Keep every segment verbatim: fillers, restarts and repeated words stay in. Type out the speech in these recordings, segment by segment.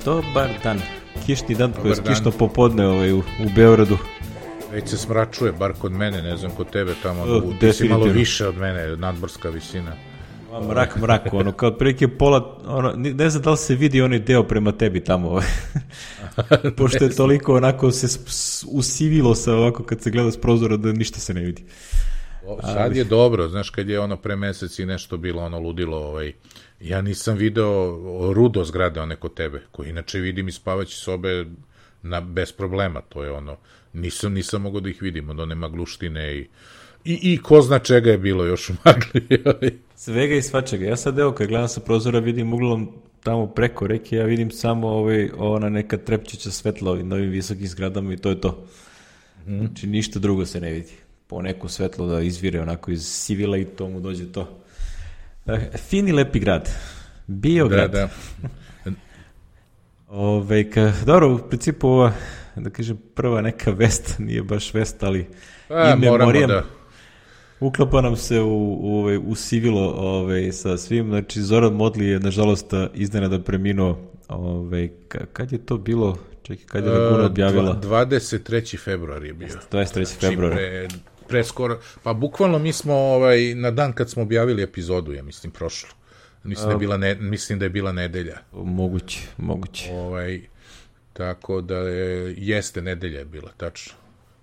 Dobar dan. Kišni dan, to je kišno popodne ovaj, u, u Beogradu. Već se smračuje, bar kod mene, ne znam kod tebe tamo, o, ti si malo više od mene, nadmorska visina. Mrak, mrak, ono, kao prilike pola, ono, ne znam da li se vidi onaj deo prema tebi tamo, ovaj. Pošto je toliko onako se usivilo se ovako kad se gleda s prozora da ništa se ne vidi. O, sad je dobro, znaš, kad je ono pre meseci nešto bilo, ono ludilo, ovaj, ja nisam video rudo zgrade one kod tebe, koji inače vidim iz spavaće sobe na, bez problema, to je ono, nisam, nisam mogao da ih vidim, od one magluštine i, i, i ko zna čega je bilo još u magli. Svega i svačega, ja sad evo kad gledam sa prozora vidim uglom tamo preko reke, ja vidim samo ovaj, ona neka trepčića svetla ovim novim visokim zgradama i to je to. Mm. Znači ništa drugo se ne vidi. Po neko svetlo da izvire onako iz sivila i to mu dođe to. Fini lepi grad. Biograd. Da, da. Ove, ka, dobro, u principu ova, da kažem, prva neka vest, nije baš vest, ali A, i memorijem. Da. Uklapa nam se u, u, u sivilo ove, sa svim. Znači, Zoran Modli je, nažalost, iznenada preminuo. Ove, ka, kad je to bilo? Čekaj, kad je Laguna objavila? dvadeset treći februar je bio. dvadeset treći februar. Pre, pre skoro, pa bukvalno mi smo ovaj, na dan kad smo objavili epizodu, ja mislim, prošlo. Mislim, da je bila, ne, mislim da je bila nedelja. Moguće, moguće. Ovaj, tako da je, jeste nedelja je bila, tačno.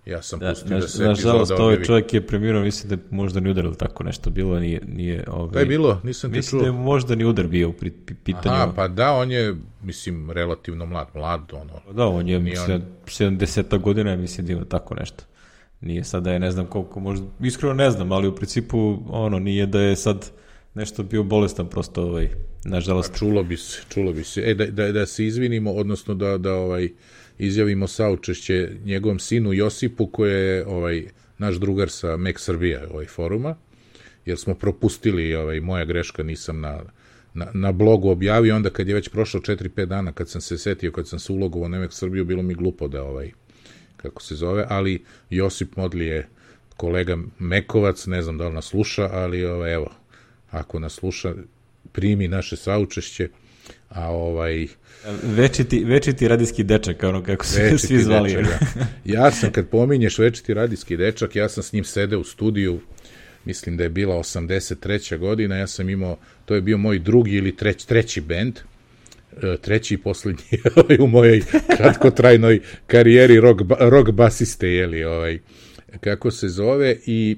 Ja sam da, pustio naž, da se nažalost, epizoda objavi. Ovaj čovjek je preminuo, mislim da je možda ni udarilo tako nešto bilo, nije... nije ovaj, da je bilo, nisam te čuo. Mislim da je možda ni udar bio u pitanju. Aha, pa da, on je, mislim, relativno mlad, mlad, ono. Da, on je, mislim, on... sedamdeseta godina, mislim da ima tako nešto. Nije sad da je, ne znam koliko, možda, iskreno ne znam, ali u principu, ono, nije da je sad nešto bio bolestan, prosto, ovaj, nažalost. A čulo bi se, čulo bi se. E, da, da, da se izvinimo, odnosno da, da, ovaj, izjavimo saučešće njegovom sinu Josipu, koji je ovaj, naš drugar sa Mek Srbija ovaj, foruma, jer smo propustili, ovaj, moja greška, nisam na, na, na blogu objavio, onda kad je već prošlo četiri pet dana, kad sam se setio, kad sam se ulogovao na Mek Srbiju, bilo mi glupo da, ovaj, kako se zove, ali Josip Modli je kolega Mekovac, ne znam da li nas sluša, ali ovaj, evo, ako nas sluša, primi naše saučešće, a ovaj... Večiti, večiti radijski dečak, ono kako se svi zvali. Dečak, ja. ja sam, kad pominješ večiti radijski dečak, ja sam s njim sedeo u studiju, mislim da je bila osamdeset treća godina, ja sam imao, to je bio moj drugi ili treć, treći bend, treći i poslednji u mojoj kratkotrajnoj karijeri rock, rock basiste, jeli, ovaj, kako se zove, i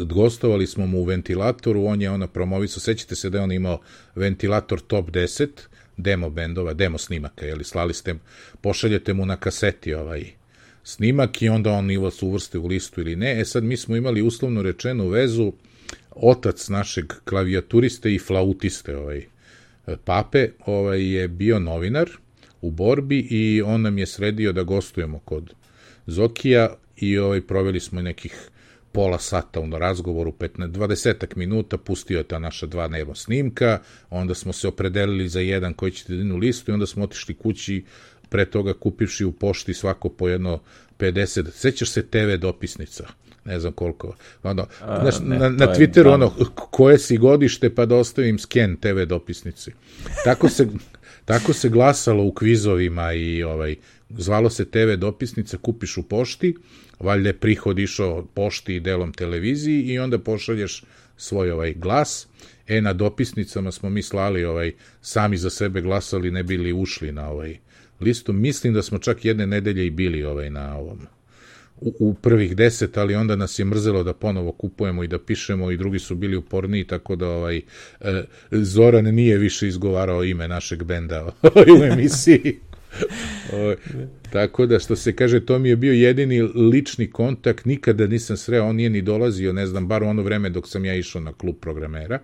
gostovali smo mu u Ventilatoru, on je ona promovisao, sećate se da je on imao Ventilator Top deset, demo bendova, demo snimaka, jeli, slali ste, pošaljete mu na kaseti ovaj snimak i onda on ili vas uvrste u listu ili ne. E sad mi smo imali uslovno rečenu vezu, otac našeg klavijaturiste i flautiste, ovaj, Pape, ovaj, je bio novinar u borbi i on nam je sredio da gostujemo kod Zokija i ovaj, proveli smo nekih pola sata u razgovoru, petnaest dvadeset minuta, pustio je ta naša dva dnevno snimka, onda smo se opredelili za jedan koji će jedinu listu i onda smo otišli kući, pre toga kupivši u pošti svako po jedno pedeset, sećaš se te ve dopisnica, ne znam koliko, ono, A, znaš, ne, na, na Twitteru je, ono, koje si godište pa da ostavim sken te ve dopisnici. Tako se, tako se glasalo u kvizovima i ovaj, zvalo se te ve dopisnica, kupiš u pošti, valjda je prihod išao pošti i delom televiziji i onda pošalješ svoj ovaj glas. E, na dopisnicama smo mi slali, ovaj, sami za sebe glasali, ne bili ušli na ovaj listu. Mislim da smo čak jedne nedelje i bili ovaj, na ovom, u, u prvih deset, ali onda nas je mrzelo da ponovo kupujemo i da pišemo i drugi su bili uporniji, tako da ovaj, e, Zoran nije više izgovarao ime našeg benda u emisiji. O, tako da, što se kaže, to mi je bio jedini lični kontakt, nikada nisam sreo, on nije ni dolazio, ne znam, bar u ono vreme dok sam ja išao na klub programera,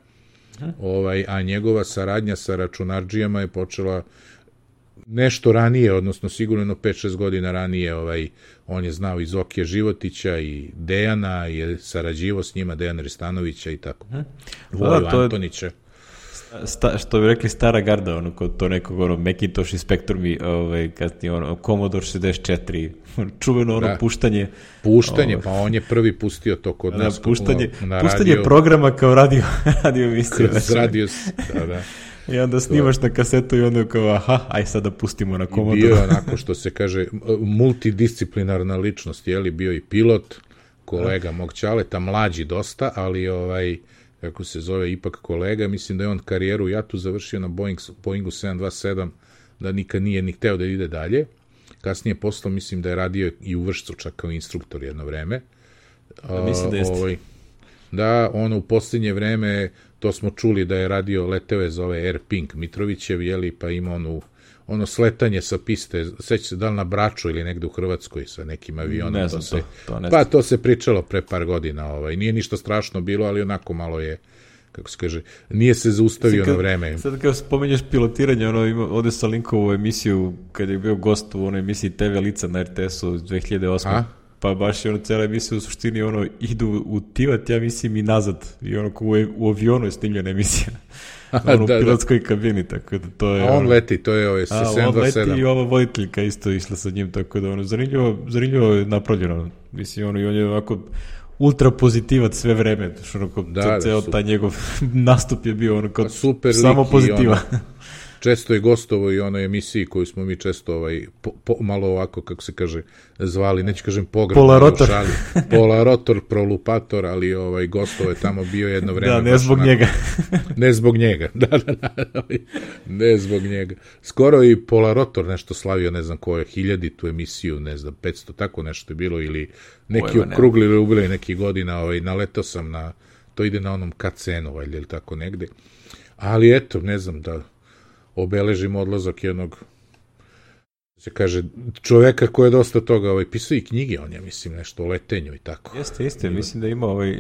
ovaj, a njegova saradnja sa računardžijama je počela nešto ranije, odnosno sigurno pet šest godina ranije. Ovaj, on je znao i Zokija Životića i Dejana, je sarađivo s njima, Dejana Ristanovića i tako, Voju da, Antonića. Sta, što bi rekli stara garda, ono, kod to nekog, ono, Macintosh i Spectrum, ovaj, kasnije, ono, Commodore šezdeset četiri, čuveno, ono, da. puštanje. Puštanje, ovaj, pa on je prvi pustio to kod da, nas. Puštanje, na puštanje radio, programa kao radio, radio emisiju. Kroz radio, da, da. I onda snimaš na kasetu i onda kao, aha, aj sad da pustimo na komodu. I bio je onako što se kaže multidisciplinarna ličnost, je li bio i pilot, kolega mog ćaleta, mlađi dosta, ali ovaj, kako se zove, ipak kolega, mislim da je on karijeru u jatu završio na Boeing, Boeingu sedam dvadeset sedam, da nikad nije ni hteo da ide dalje. Kasnije poslo, mislim da je radio i u Vršcu čak kao instruktor jedno vreme. Da, mislim da jeste. Ovaj, da, ono u posljednje vreme, to smo čuli da je radio, leteo je zove Air Pink Mitrovićev, jeli, pa ima onu, ono sletanje sa piste, seća se da li na Braču ili negde u Hrvatskoj sa nekim avionom. Ne znam to se, to, to ne pa to se pričalo pre par godina, ovaj. Nije ništa strašno bilo, ali onako malo je, kako se kaže, nije se zaustavio kad, na vreme. Sad kao spomenješ pilotiranje, ono, ima, ovde sam linkovu emisiju, kada je bio gost u onoj emisiji te ve Lica na er te esu dve hiljade osme. A? Pa baš je ono, cijela emisija u suštini, ono, idu u Tivat, ja mislim, i nazad. I ono, u, u avionu je snimljena emisija. Ono, u da, pilotskoj da. kabini, tako da to je... A on ono, leti, to je ovaj sedam dvadeset sedam. A on leti i ova voditeljka isto išla sa njim, tako da ono, zanimljivo, zanimljivo je napravljeno. Mislim, ono, i on je ovako ultra pozitivac sve vreme. Ono, ko, da, ceo da, taj njegov nastup je bio ono, kao super samo pozitiva. Ono, često je gostovo i onoj emisiji koju smo mi često ovaj, po, po, malo ovako, kako se kaže, zvali, neću kažem pogrebno. Polarotor. Polarotor, prolupator, ali ovaj, gostovo je tamo bio jedno vreme. Da, ne zbog onako, njega. Ne zbog njega, da, da, da, ne zbog njega. Skoro i Polarotor nešto slavio, ne znam koje, hiljaditu emisiju, ne znam, petsto, tako nešto je bilo, ili neki okrugli rubili neki godina, ovaj, naletao sam na, to ide na onom ka cenu, ovaj, ili tako negde. Ali eto, ne znam, da obeležimo odlazak jednog, se kaže, čoveka koji je dosta toga ovaj, pisao i knjige, on je, mislim, nešto o letenju i tako. Jeste, jeste, mislim da ima, ovaj,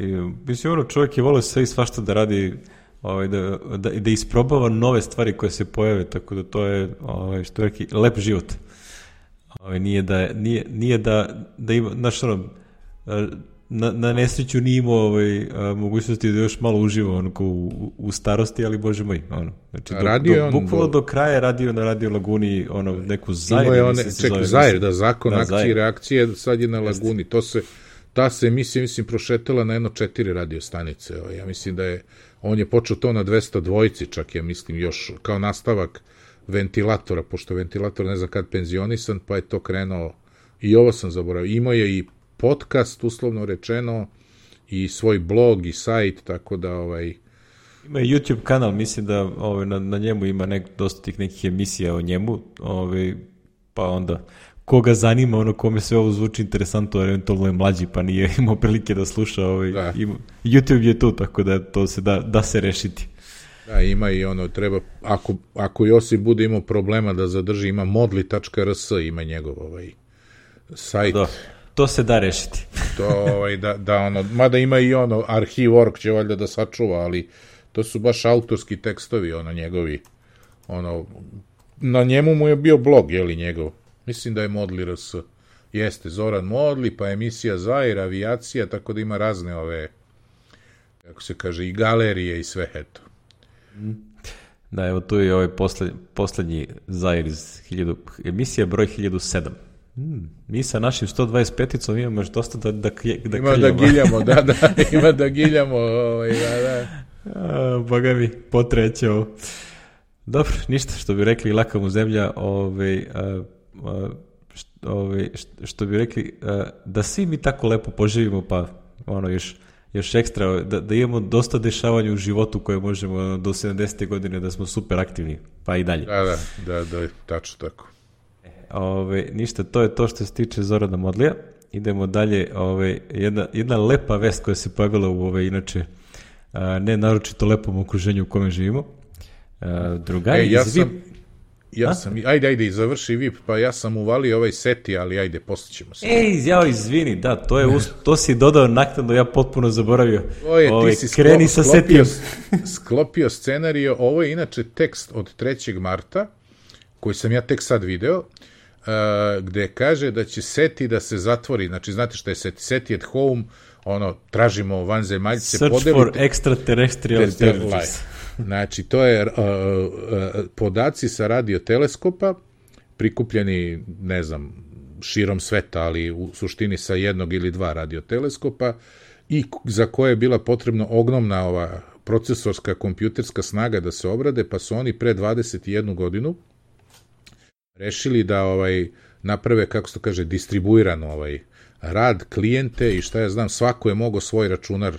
mislim, ono, čovjek je volio sve i svašta da radi, ovaj, da, da, da isprobava nove stvari koje se pojave, tako da to je, ovaj, što je neki, lep život. Ovaj, nije da, nije, nije da, da ima, znaš, ono, na, na nesreću nije imao ovaj, mogućnosti da još malo uživa ono, u, u starosti, ali bože moj, ono. Znači, do, do, bukvalno do kraja radio na Radio Laguni ono, neku Zair. One, čekaj, Zair, da, zakon da, akcije i reakcije, sad je na Laguni. To se, ta se emisija, mislim, prošetala na jedno četiri radio stanice. Ja mislim da je, on je počeo to na dvesta dvojici, čak ja mislim, još kao nastavak ventilatora, pošto ventilator ne znam kad penzionisan, pa je to krenuo, i ovo sam zaboravio, imao je i podcast, uslovno rečeno, i svoj blog i sajt, tako da ovaj... Ima i YouTube kanal, mislim da ovaj, na, na njemu ima nek, dosta tih nekih emisija o njemu, ovaj, pa onda koga zanima, ono kome sve ovo zvuči interesantno, eventualno je mlađi, pa nije imao prilike da sluša, ovaj, da. Ima, YouTube je tu, tako da to se da, da se rešiti. Da, ima i ono, treba, ako, ako Josip bude imao problema da zadrži, ima modli tačka er es, ima njegov ovaj sajt. Da. To se da rešiti. To, ovaj, da, da ono, mada ima i ono, Arhiv.org će valjda da sačuva, ali to su baš autorski tekstovi, ono, njegovi, ono, na njemu mu je bio blog, jeli, njegov, mislim da je Modli er es, jeste, Zoran Modli, pa emisija Zair, avijacija, tako da ima razne ove, kako se kaže, i galerije i sve, eto. Da, evo tu je ovaj posled, poslednji Zair iz hiljadu, emisija broj hiljadu sedam. Hmm, mi sa našim sto dvadeset peticom imamo još dosta da, da, da ima da giljamo, da, da, ima da giljamo, ovaj, da, da. A, boga mi, potreće ovo. Dobro, ništa, što bi rekli, laka mu zemlja, ovaj, a, a, što, ovaj, što bi rekli, a, da svi mi tako lepo poživimo, pa ono još, još ekstra, da, da imamo dosta dešavanja u životu koje možemo do sedamdesete godine da smo super aktivni, pa i dalje. Da, da, da, da, tačno tako. Ove, ništa, to je to što se tiče Zorana Modlija. Idemo dalje, ove, jedna, jedna lepa vest koja se pojavila u ove, inače, a, ne naročito lepom okruženju u kome živimo. A, drugari e, ja iz sam, V I P... Ja a? sam, ajde, ajde, završi V I P, pa ja sam uvalio ovaj seti, ali ajde, postićemo se. Ej, ja, izvini, da, to, je, to si dodao naknadno, ja potpuno zaboravio. Oje, ove, ti si kreni sklo, sa sklopio, setijom. sklopio scenario, ovo je inače tekst od trećeg marta, koji sam ja tek sad video, Uh, gde kaže da će SETI da se zatvori, znači znate šta je SETI? SETI at home, ono, tražimo vanzemaljce, Search podelite, for extraterrestrial intelligence. Znači, to je uh, uh, podaci sa radioteleskopa, prikupljeni, ne znam, širom sveta, ali u suštini sa jednog ili dva radioteleskopa, i za koje je bila potrebna ogromna ova procesorska kompjuterska snaga da se obrade, pa su oni pre dvadeset jednu godinu rešili da ovaj naprave, kako se to kaže, distribuirano ovaj rad, klijente i šta ja znam, svako je mogao svoj računar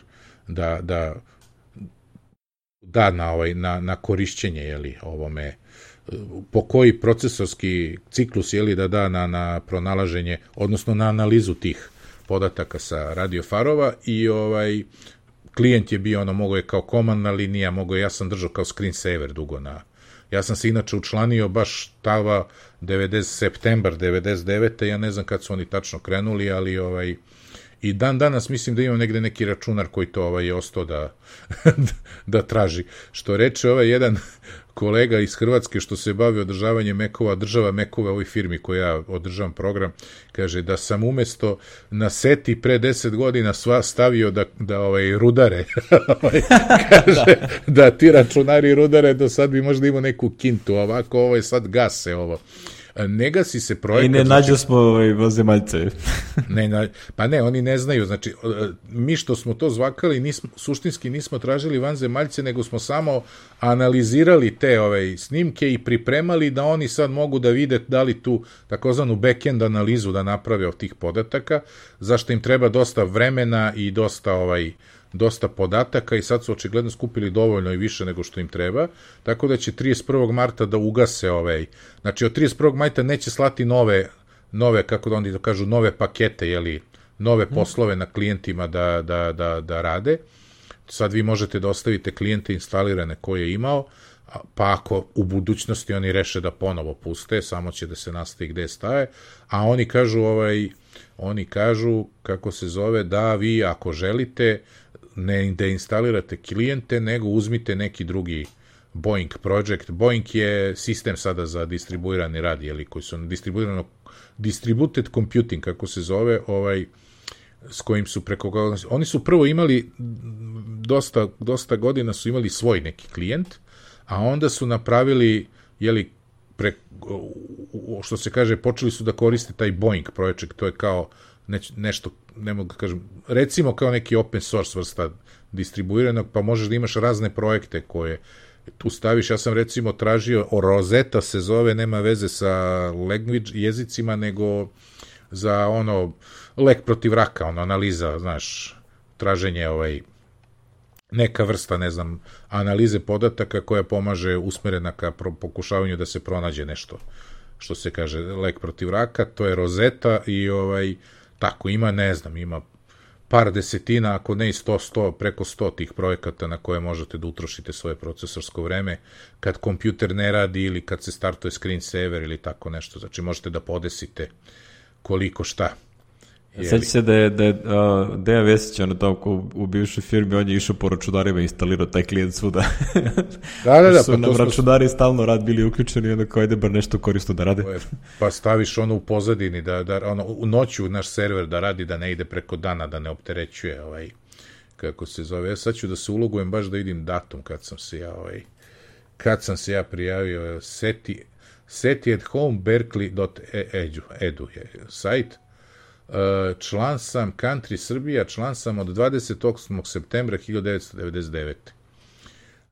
da, da da na, ovaj, na, na korišćenje, jeli, ovome, po koji procesorski ciklus, jeli, da da na, na pronalaženje, odnosno na analizu tih podataka sa radiofarova i ovaj klijent je bio, ono, mogo je kao komandna linija, mogo je, ja sam držao kao screensaver dugo na, ja sam se inače učlanio baš tava devedeset septembar devedeset devete ja ne znam kad su oni tačno krenuli, ali ovaj, i dan danas mislim da imam negde neki računar koji to ovaj, je ostao da, da traži. Što reče ovaj jedan kolega iz Hrvatske što se bavi održavanjem mekova, država mekove ovoj firmi koja ja održavam program, kaže da sam umesto na seti pre deset godina sva stavio da, da ovaj, rudare. Kaže da ti računari rudare, do sad bi možda imao neku kintu, ovako ovo je sad gase ovo. Ne gasi se projekat. I ne nađu znači, smo ovaj, vanzemaljce. ne, na, pa ne, oni ne znaju. Znači, mi što smo to zvakali, nismo, suštinski nismo tražili vanzemaljce, nego smo samo analizirali te ove snimke i pripremali da oni sad mogu da vide da li tu takozvanu back-end analizu da naprave od tih podataka, zašto im treba dosta vremena i dosta ovaj dosta podataka i sad su očigledno skupili dovoljno i više nego što im treba, tako da će trideset prvog marta da ugase ovaj, znači od trideset prvog marta neće slati nove, nove kako da oni da kažu, nove pakete, jeli, nove poslove na klijentima da, da, da, da rade. Sad vi možete da ostavite klijente instalirane koje je imao, pa ako u budućnosti oni reše da ponovo puste, samo će da se nastavi gde staje, a oni kažu, ovaj, oni kažu, kako se zove, da vi ako želite ne da instalirate klijente, nego uzmite neki drugi Boeing project. Boeing je sistem sada za distribuirani rad, jeli, koji su distribuirano, distributed computing, kako se zove, ovaj, s kojim su preko... Oni su prvo imali, dosta, dosta godina su imali svoj neki klijent, a onda su napravili, jeli, pre, što se kaže, počeli su da koriste taj Boeing project, to je kao ne, nešto, ne mogu da kažem, recimo kao neki open source vrsta distribuiranog, pa možeš da imaš razne projekte koje tu staviš. Ja sam recimo tražio, o Rosetta se zove, nema veze sa language jezicima, nego za ono, lek protiv raka, ono, analiza, znaš, traženje ovaj, neka vrsta, ne znam, analize podataka koja pomaže usmerena ka pokušavanju da se pronađe nešto, što se kaže, lek protiv raka, to je Rosetta i ovaj, tako ima, ne znam, ima par desetina, ako ne i sto, sto, preko sto tih projekata na koje možete da utrošite svoje procesorsko vreme kad kompjuter ne radi ili kad se startuje screensaver ili tako nešto. Znači možete da podesite koliko šta. Sjeća se da je, da je uh, Dejan Vesić, ono tamo u bivšoj firmi, on je išao po računarima i instalirao taj klijent svuda. Da, da, da. Su pa nam računari smo... stalno rad bili uključeni i onda kao ide bar nešto korisno da rade. Pa staviš ono u pozadini, da, da, ono, u noću naš server da radi, da ne ide preko dana, da ne opterećuje, ovaj, kako se zove. Ja sad ću da se ulogujem baš da vidim datum kad sam se ja, ovaj, kad sam se ja prijavio, seti, seti at home berkeley dot edu je sajt. Član sam Country Srbija, član sam od dvadeset osmog septembra hiljadu devetsto devedeset devete.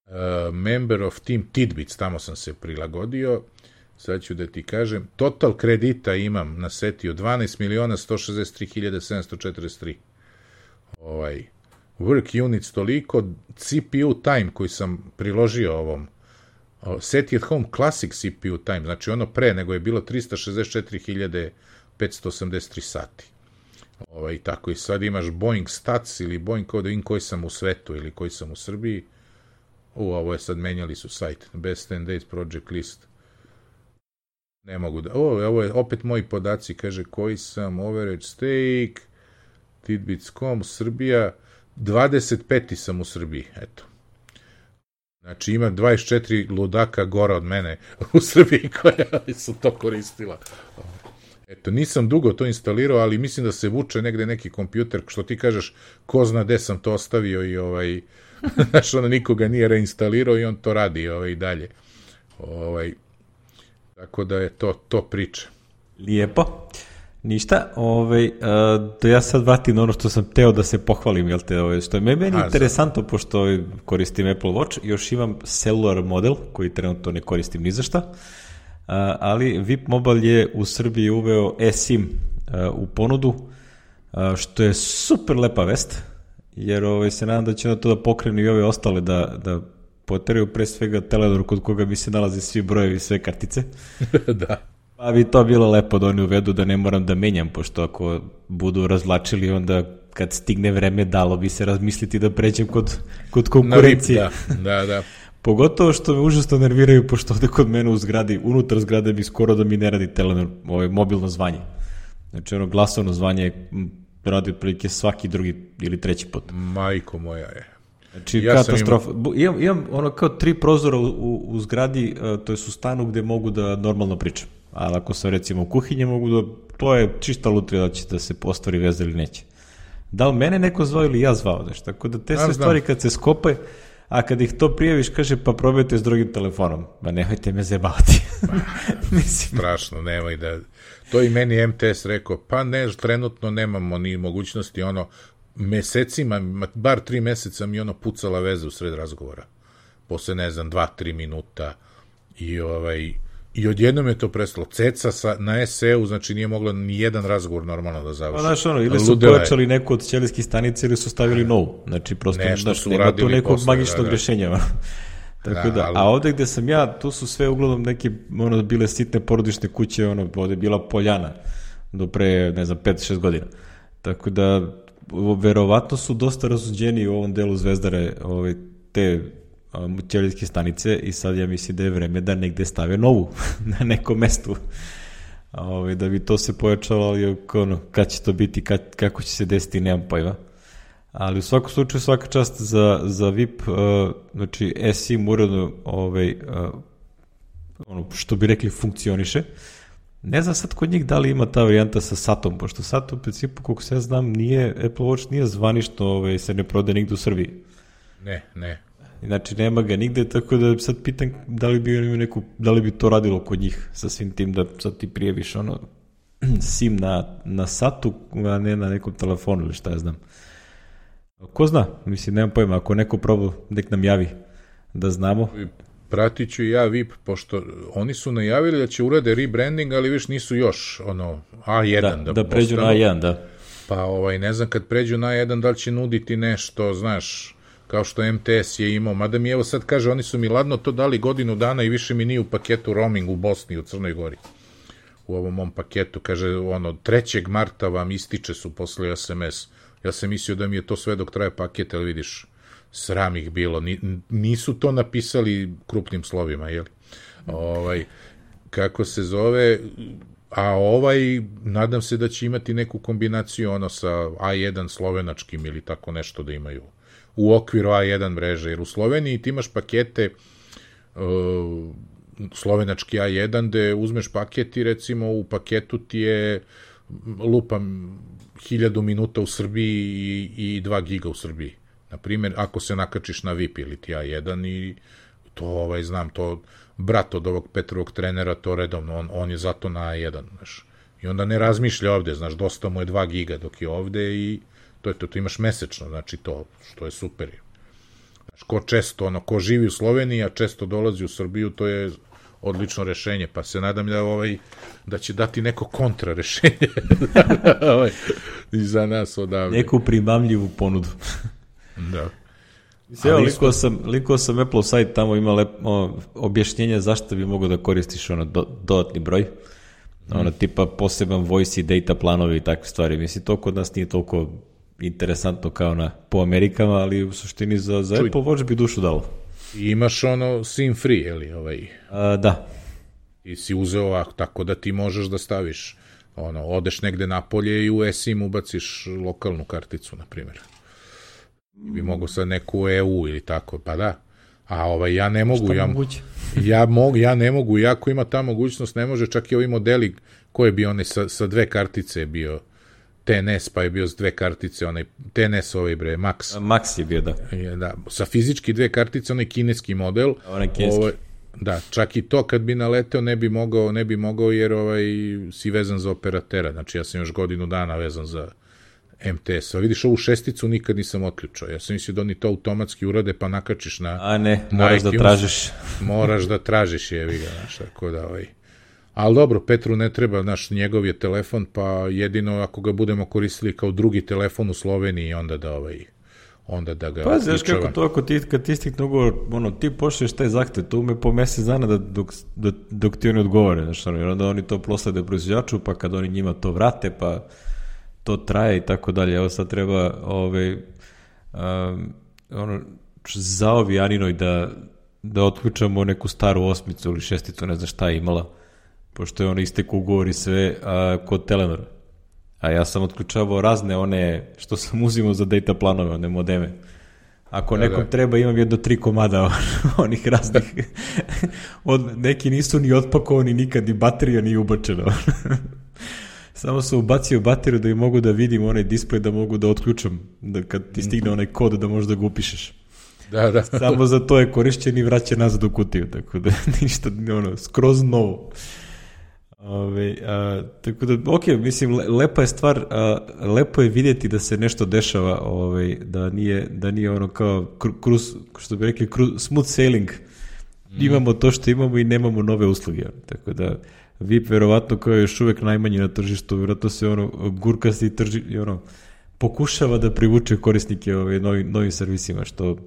Uh, member of Team Tidbits, tamo sam se prilagodio. Sad ću da ti kažem, total kredita imam na seti od dvanaest miliona sto šezdeset tri hiljade sedamsto četrdeset tri. Ovaj, work units toliko, C P U time koji sam priložio ovom, seti at home classic C P U time, znači ono pre nego je bilo tristo šezdeset četiri hiljade petsto osamdeset tri sati. Ovaj, tako i sad imaš Boeing Stats ili Boeing kod in koji sam u svetu ili koji sam u Srbiji. U, ovo je sad menjali su sajt. Best ten days project list. Ne mogu da... O, ovo je opet moji podaci. Kaže koji sam, overage stake, tidbits dot com, Srbija. dvadeset peti sam u Srbiji, eto. Znači ima dvadeset četiri ludaka gora od mene u Srbiji koja su to koristila. Eto, nisam dugo to instalirao, ali mislim da se vuče negde neki kompjuter, što ti kažeš, ko zna gde sam to ostavio i ovaj, znaš, ono nikoga nije reinstalirao i on to radi ovaj, i dalje. Ovaj, tako da je to, to priča. Lijepo. Ništa, ovaj, a, da ja sad vratim na ono što sam teo da se pohvalim, jel te, ovaj, što je meni A, interesantno, za... pošto ovaj, koristim Apple Watch, još imam cellular model, koji trenutno ne koristim ni za šta, a, ali V I P Mobile je u Srbiji uveo eSIM a, u ponudu, a, što je super lepa vest, jer ovaj, se nadam da će na to da pokrenu i ove ostale da, da poteraju, pre svega Telenor kod koga mi se nalazi svi brojevi, sve kartice. Da. Pa bi to bilo lepo da oni uvedu da ne moram da menjam, pošto ako budu razvlačili, onda kad stigne vreme dalo bi se razmisliti da pređem kod, kod konkurencije. Da, da, da. Pogotovo što me užasno nerviraju, pošto ovde kod mene u zgradi, unutar zgrade mi skoro da mi ne radi Telenor, ovo mobilno zvanje. Znači ono glasovno zvanje radi otprilike svaki drugi ili treći put. Majko moja je. Znači, ja katastrofa. Imao... Imam, imam ono kao tri prozora u, u, u zgradi, to je u stanu gde mogu da normalno pričam. Ali ako sam recimo u kuhinji, mogu da, to je čista lutrija da će da se postvari veza ili neće. Da li mene neko zvao ili ja zvao, znaš, tako da te sve ja stvari kad se skope, a kad ih to prijaviš, kaže pa probajte s drugim telefonom, ma nemojte me zebavati. Mislim. Strašno, nemoj da, to i meni M T S rekao, pa ne, trenutno nemamo ni mogućnosti, ono, mesecima, bar tri meseca mi ono pucala veza u sred razgovora, posle ne znam, dva, tri minuta i ovaj, i odjednom je to prestalo. Ceca sa, na S E-u, znači nije mogla ni jedan razgovor normalno da završi. Pa znaš ono, ili su pojačali neku od ćelijskih stanica ili su stavili novu. Znači prosto znaš, nema tu nekog posle, magičnog da, da. rešenja. Tako da, da ali... A ovde gde sam ja, tu su sve uglavnom neke, ono, bile sitne porodične kuće, ono, ovde je bila poljana do pre, ne znam, pet šest godina. Tako da, verovatno su dosta razuđeni u ovom delu Zvezdare, ove, te ćelijske stanice i sad ja mislim da je vreme da negde stave novu na nekom mestu. Ove, da bi to se pojačalo, ali ono, kad će to biti, kad, kako će se desiti, nemam pojma. Ali u svakom slučaju svaka čast za, za V I P, uh, znači eSIM uredno, ovaj, uh, ono, što bi rekli, funkcioniše. Ne znam sad kod njih da li ima ta varijanta sa satom, pošto sat u principu, koliko se ja znam, nije, Apple Watch nije zvanično, ovaj, se ne prode nigde u Srbiji. Ne, ne. Znači nema ga nigde, tako da sad pitam da li bi imao neku, da li bi to radilo kod njih sa svim tim da sad ti prijeviš ono SIM na, na satu, a ne na nekom telefonu ili šta ja znam. Ko zna, mislim, nemam pojma, ako neko probao, nek nam javi da znamo. Pratit ću i ja V I P, pošto oni su najavili da će urade rebranding, ali viš nisu još ono A jedan. Da, da, da pređu na A jedan, da. Pa ovaj, ne znam, kad pređu na A jedan, da li će nuditi nešto, znaš, kao što M T S je imao, mada mi evo sad kaže, oni su mi ladno to dali godinu dana i više mi nije u paketu roaming u Bosni, u Crnoj Gori. U ovom mom paketu, kaže, ono, trećeg marta vam ističe su posle S M S. Ja sam mislio da mi je to sve dok traje paket, ali vidiš, sram ih bilo. Nisu to napisali krupnim slovima, jel? Ovaj, kako se zove, a ovaj, nadam se da će imati neku kombinaciju, ono, sa A jedan slovenačkim ili tako nešto da imaju u okviru A jedan mreže, jer u Sloveniji ti imaš pakete uh, slovenački A jedan, gde uzmeš paket i recimo u paketu ti je lupam hiljadu minuta u Srbiji i, i dva giga u Srbiji. Naprimjer, ako se nakačiš na V I P ili ti A jedan i to, ovaj, znam, to brat od ovog Petrovog trenera, to redovno, on, on je zato na A jedan, znaš. I onda ne razmišlja ovde, znaš, dosta mu je dva giga dok je ovde i to je to, to imaš mesečno, znači to, što je super. Znaš, ko često, ono, ko živi u Sloveniji, a često dolazi u Srbiju, to je odlično rešenje, pa se nadam da ovaj, da će dati neko kontra rešenje ovaj, za nas odavde. Neku primamljivu ponudu. Da. Evo, likao sam, likao sam Apple sajt, tamo ima lep, o, objašnjenja zašto bi mogo da koristiš ono do, dodatni broj. Ono, hmm. tipa poseban voice i data planovi i takve stvari. Mislim, to kod nas nije toliko interesantno kao na, po Amerikama, ali u suštini za, za Apple Watch bi dušu dalo. I imaš ono SIM free, ili ovaj? A, da. I si uzeo ovako, tako da ti možeš da staviš, ono, odeš negde napolje i u eSIM ubaciš lokalnu karticu, na primjer. Bi mogu sad neku E U ili tako, pa da. A ovaj, ja ne mogu, ja, ja, mogu, ja ne mogu, jako ima ta mogućnost, ne može, čak i ovi modeli koje bi one sa, sa dve kartice bio T N S, pa je bio s dve kartice, onaj T N S ovaj bre, Max. Max je bio, da. Je, da. Sa fizički dve kartice, onaj kineski model. Onaj kineski. Ovaj, Da, čak i to kad bi naleteo ne bi mogao, ne bi mogao jer ovaj, si vezan za operatera. Znači ja sam još godinu dana vezan za em te es. A vidiš, ovu šesticu nikad nisam otključao. Ja sam mislio da oni to automatski urade pa nakačiš na... A ne, moraš da tražiš. Moraš da tražiš, jevi ga, znaš, tako da ovaj... Ali dobro, Petru ne treba, naš njegov je telefon, pa jedino ako ga budemo koristili kao drugi telefon u Sloveniji, onda da ovaj... onda da ga... Pa, znaš kako to, ako ti, kad ti stikne ugovor, ono, ti pošliješ taj zahtev, to ume po mesec dana da, dok, da, dok ti oni odgovore, znaš, jer onda oni to proslede proizvođaču, pa kad oni njima to vrate, pa to traje i tako dalje. Evo sad treba, ovaj, um, ono, zaovi Aninoj da, da otključamo neku staru osmicu ili šesticu, ne znam šta je imala, pošto je ono istek ugovor i sve a, kod Telenora. A ja sam otključavao razne one, što sam uzimao za data planove, one modeme. Ako da, nekom da. treba, imam jedno tri komada onih raznih. Od, neki nisu ni otpakovani nikad, ni baterija nije ubačena. Samo sam ubacio bateriju da i mogu da vidim onaj displej, da mogu da otključam, da kad ti stigne onaj kod da možeš da ga upišeš. Da, da. Samo za to je korišćen i vraća nazad u kutiju, tako da ništa, ono, skroz novo. Ove, a, tako da, ok, mislim, lepa je stvar, a, lepo je vidjeti da se nešto dešava, ove, da, nije, da nije ono kao cruise, što bi rekli, cruise, smooth sailing. Mm. Imamo to što imamo i nemamo nove usluge. Tako da, V I P verovatno kao je još uvek najmanji na tržištu, verovatno se ono gurkasti i trži, i ono, pokušava da privuče korisnike ove, novi, novim servisima, što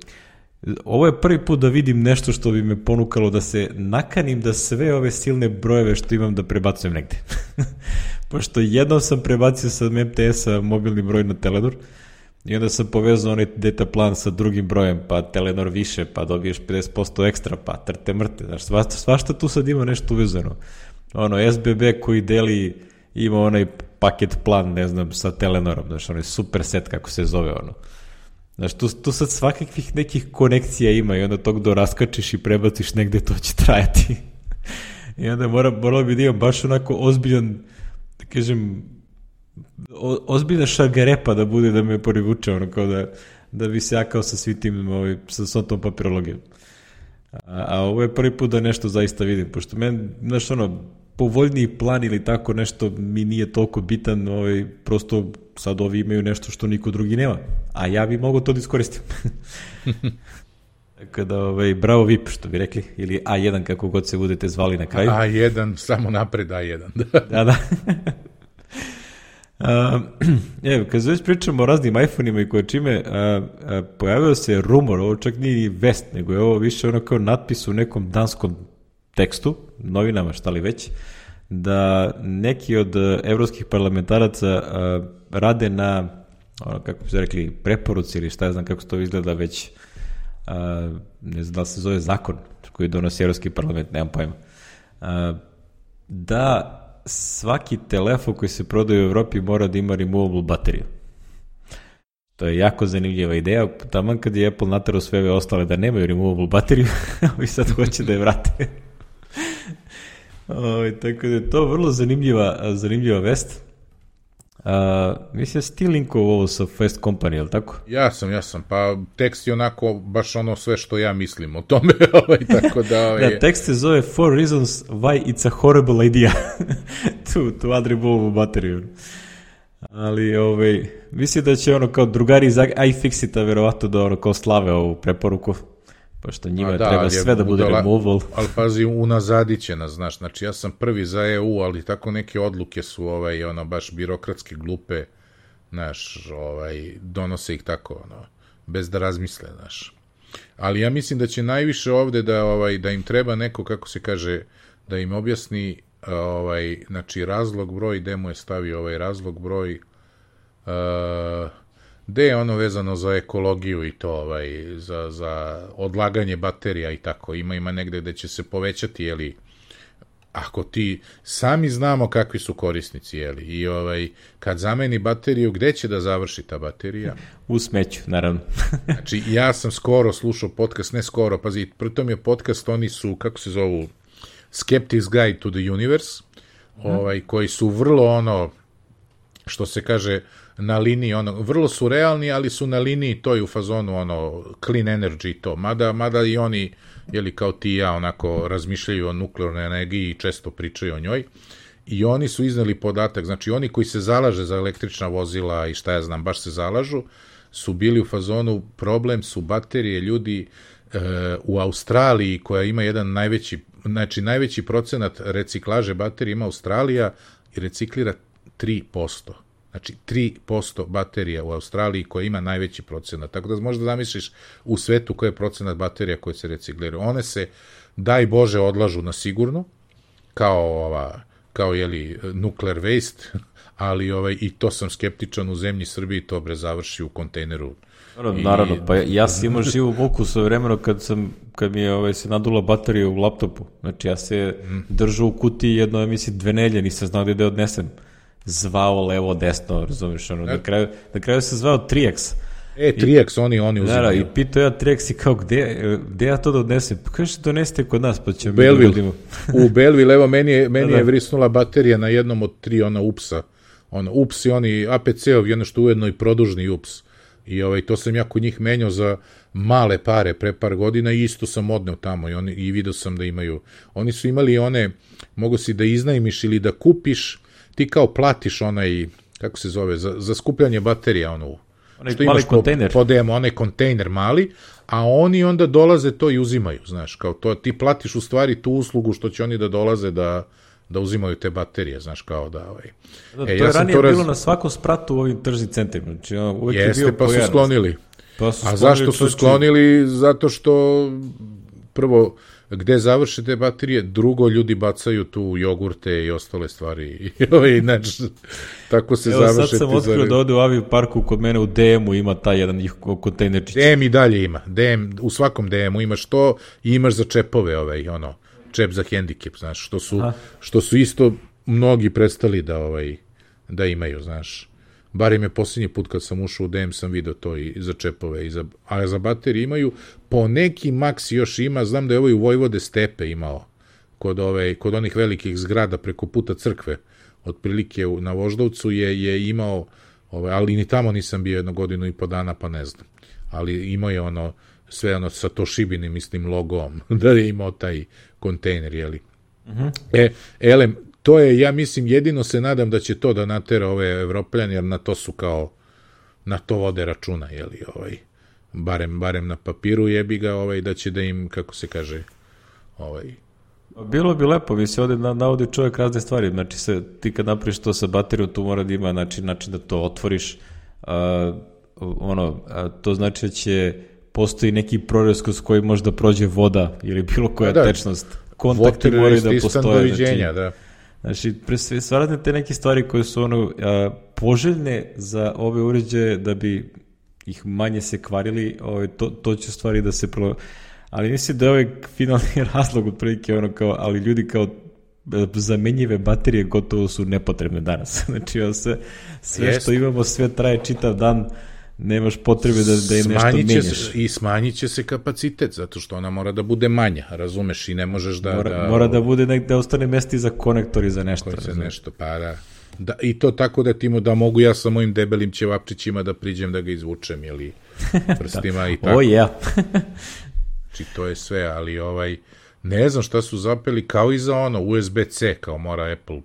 ovo je prvi put da vidim nešto što bi me ponukalo da se nakanim da sve ove silne brojeve što imam da prebacujem negde. Pošto jednom sam prebacio sa em te es-a mobilni broj na Telenor i onda sam povezao onaj data plan sa drugim brojem, pa Telenor više, pa dobiješ pedeset posto ekstra, pa trte mrte. Znaš, svašta, svašta tu sad ima nešto uvezano. Ono, es be be koji deli, ima onaj paket plan, ne znam, sa Telenorom, znaš, onaj super set, kako se zove, ono. Znaš, tu, tu sad svakakvih nekih konekcija ima i onda tog do raskačiš i prebaciš negde, to će trajati. I onda mora, moralo bi da imam baš onako ozbiljan, da kažem, o, ozbiljna šargarepa da bude da me porivuče, ono kao da, da bi se ja kao sa svi tim, ovaj, sa svom tom papirologijom. A, a ovo je prvi put da nešto zaista vidim, pošto meni, znaš, ono, povoljniji plan ili tako nešto mi nije toliko bitan, ovaj, prosto sad ovi imaju nešto što niko drugi nema, a ja bi mogo to da iskoristim. Tako da, ovaj, bravo V I P, što bi rekli, ili A jedan, kako god se budete zvali na kraju. A jedan, samo napred A jedan. Da, da. Uh, evo, kad već pričamo o raznim iPhone-ima i koje čime, uh, uh, pojavio se rumor, ovo čak nije vest, nego je ovo više ono kao natpis u nekom danskom tekstu, novinama, šta li već, da neki od uh, evropskih parlamentaraca uh, rade na, ono, kako bi se rekli, preporuci ili šta ja znam kako to izgleda već, uh, ne znam da se zove zakon koji donosi Evropski parlament, nemam pojma, uh, da svaki telefon koji se prodaje u Evropi mora da ima removable bateriju. To je jako zanimljiva ideja, taman kad je Apple naterao sve ove ostale da nemaju removable bateriju, i sad hoće da je vrate. O, tako da je to vrlo zanimljiva, zanimljiva vest. A, mislim, ti linkovo ovo sa Fast Company, je li tako? Ja sam, ja sam, pa tekst je onako baš ono sve što ja mislim o tome, ovaj, tako da... Ovaj... Da, tekst se zove Four Reasons Why It's a Horrible Idea to, to add removable bateriju. Ali, ovaj, mislim da će ono kao drugari iz iFixita verovatno da ono kao slave ovu preporuku, pošto njima da, treba sve da bude removable. Ali pazi, unazadit će nas, znaš, znači ja sam prvi za E U, ali tako neke odluke su ovaj, ono, baš birokratske glupe, znaš, ovaj, donose ih tako, ono, bez da razmisle, znaš. Ali ja mislim da će najviše ovde da, ovaj, da im treba neko, kako se kaže, da im objasni, ovaj, znači, razlog broj, gde mu je stavio ovaj razlog broj, uh, gde je ono vezano za ekologiju i to, ovaj, za, za odlaganje baterija i tako, ima ima negde gde će se povećati, jeli, ako ti sami znamo kakvi su korisnici, jeli, i ovaj, kad zameni bateriju, gde će da završi ta baterija? U smeću, naravno. Znači, ja sam skoro slušao podcast, ne skoro, pazi, pritom je podcast, oni su, kako se zovu, Skeptic's Guide to the Universe, ovaj, koji su vrlo ono, što se kaže, na liniji, ono, vrlo su realni, ali su na liniji to i u fazonu, ono, clean energy to, mada, mada i oni, jeli, kao ti i ja, onako, razmišljaju o nuklearnoj energiji i često pričaju o njoj, i oni su iznali podatak, znači oni koji se zalaže za električna vozila i šta ja znam, baš se zalažu, su bili u fazonu, problem su baterije, ljudi e, u Australiji, koja ima jedan najveći, znači najveći procenat reciklaže baterije ima Australija i reciklira tri posto. Znači tri posto baterija u Australiji koja ima najveći procenat. Tako da možda zamisliš u svetu koji je procenat baterija koje se recikliraju. One se, daj Bože, odlažu na sigurno, kao ova, kao jeli, nuclear waste, ali ovaj, i to sam skeptičan u zemlji Srbiji, to bre završi u kontejneru. Naravno, I... naravno, pa ja, ja sam imao živu muku svoje vremeno kad, sam, kad mi je ovaj, se nadula baterija u laptopu. Znači ja se mm. držao u kutiji jedno, ja mislim, dve nelje, nisam znao gde da odnesem. Zvao levo, desno, razumiješ, ono, na kraju, na kraju se zvao tri eks. E, tri eks, oni, oni uzimaju. Da, i pitao ja tri eks i kao, gde, gde ja to da odnesem? Pa kaže, donesite kod nas, pa ćemo mi da vidimo. U Belville, evo, meni je, meni je vrisnula baterija na jednom od tri, ona U P S-a. Ono, U P S i oni A P C-ovi, ono što ujedno i produžni U P S. I ovaj, to sam ja kod njih menjao za male pare pre par godina i isto sam odneo tamo i, oni, i vidio sam da imaju. Oni su imali one, mogu si da iznajmiš ili da kupiš, ti kao platiš onaj, kako se zove, za, za skupljanje baterija, ono, onaj što mali kontejner. Po, po demo, onaj kontejner mali, a oni onda dolaze to i uzimaju, znaš, kao to, ti platiš u stvari tu uslugu što će oni da dolaze da, da uzimaju te baterije, znaš, kao da, ovaj. Da, to e, ja je ranije to raz... bilo na svakom spratu u ovim tržnim centrima, znači, uvek Jeste, je bio pa pojarnost. su sklonili. Pa su a sklonili, zašto su sklonili? Zato što, prvo, gde završe te baterije, drugo, ljudi bacaju tu jogurte i ostale stvari. I, znači, tako se Evo, završe. Sad sam otkrio zare... da ovde u Aviju parku kod mene u D M-u ima taj jedan kontejnerčić. D M i dalje ima. D M, u svakom D M-u imaš to i imaš za čepove, ovaj, ono, čep za hendikep, znaš, što su, što su isto mnogi prestali da, ovaj, da imaju, znaš. Barim je posljednji put kad sam ušao u D M sam vidio to i za čepove, i za, a za baterije imaju, po neki maks još ima, znam da je ovaj u Vojvode Stepe imao, kod, ove, kod onih velikih zgrada preko puta crkve, otprilike na Voždovcu je, je imao, ove, ali ni tamo nisam bio jednu godinu i po dana, pa ne znam, ali imao je ono, sve ono sa Toshibinim, mislim, logom, da je imao taj kontejner, jeli. Uh-huh. E, elem, to je, ja mislim, jedino se nadam da će to da natera ove Evropljani, jer na to su kao, na to vode računa, jeli, ovaj, barem, barem na papiru jebi ga, ovaj, da će da im, kako se kaže, ovaj... Bilo bi lepo, mi se ovde navodi čovjek razne stvari, znači se, ti kad napraviš to sa baterijom, tu mora da ima način, način da to otvoriš, a, ono, a, to znači da će postoji neki prorez kroz koji možda prođe voda ili bilo koja da, tečnost, kontakti moraju da postoje, znači, da. Znači, stvarate te neke stvari koje su ono, a, poželjne za ove uređaje da bi ih manje se kvarili, ovaj, to, to će stvari da se pro... Ali mislim da je ovaj finalni razlog otprilike ono kao, ali ljudi kao zamenjive baterije gotovo su nepotrebne danas. Znači, sve, sve što imamo, sve traje čitav dan, nemaš potrebe da, da je nešto menjaš. I smanjit će se kapacitet, zato što ona mora da bude manja, razumeš, i ne možeš da... Mora da, mora da bude nek, da ostane mesti za konektori za nešto. Koji se nešto, pa da. Da, i to tako da ti mu, da mogu ja sa mojim debelim ćevapčićima da priđem da ga izvučem, ili prstima da. I tako. O, ja. Znači, to je sve, ali ovaj, ne znam šta su zapeli, kao i za ono, U S B C, kao mora Apple,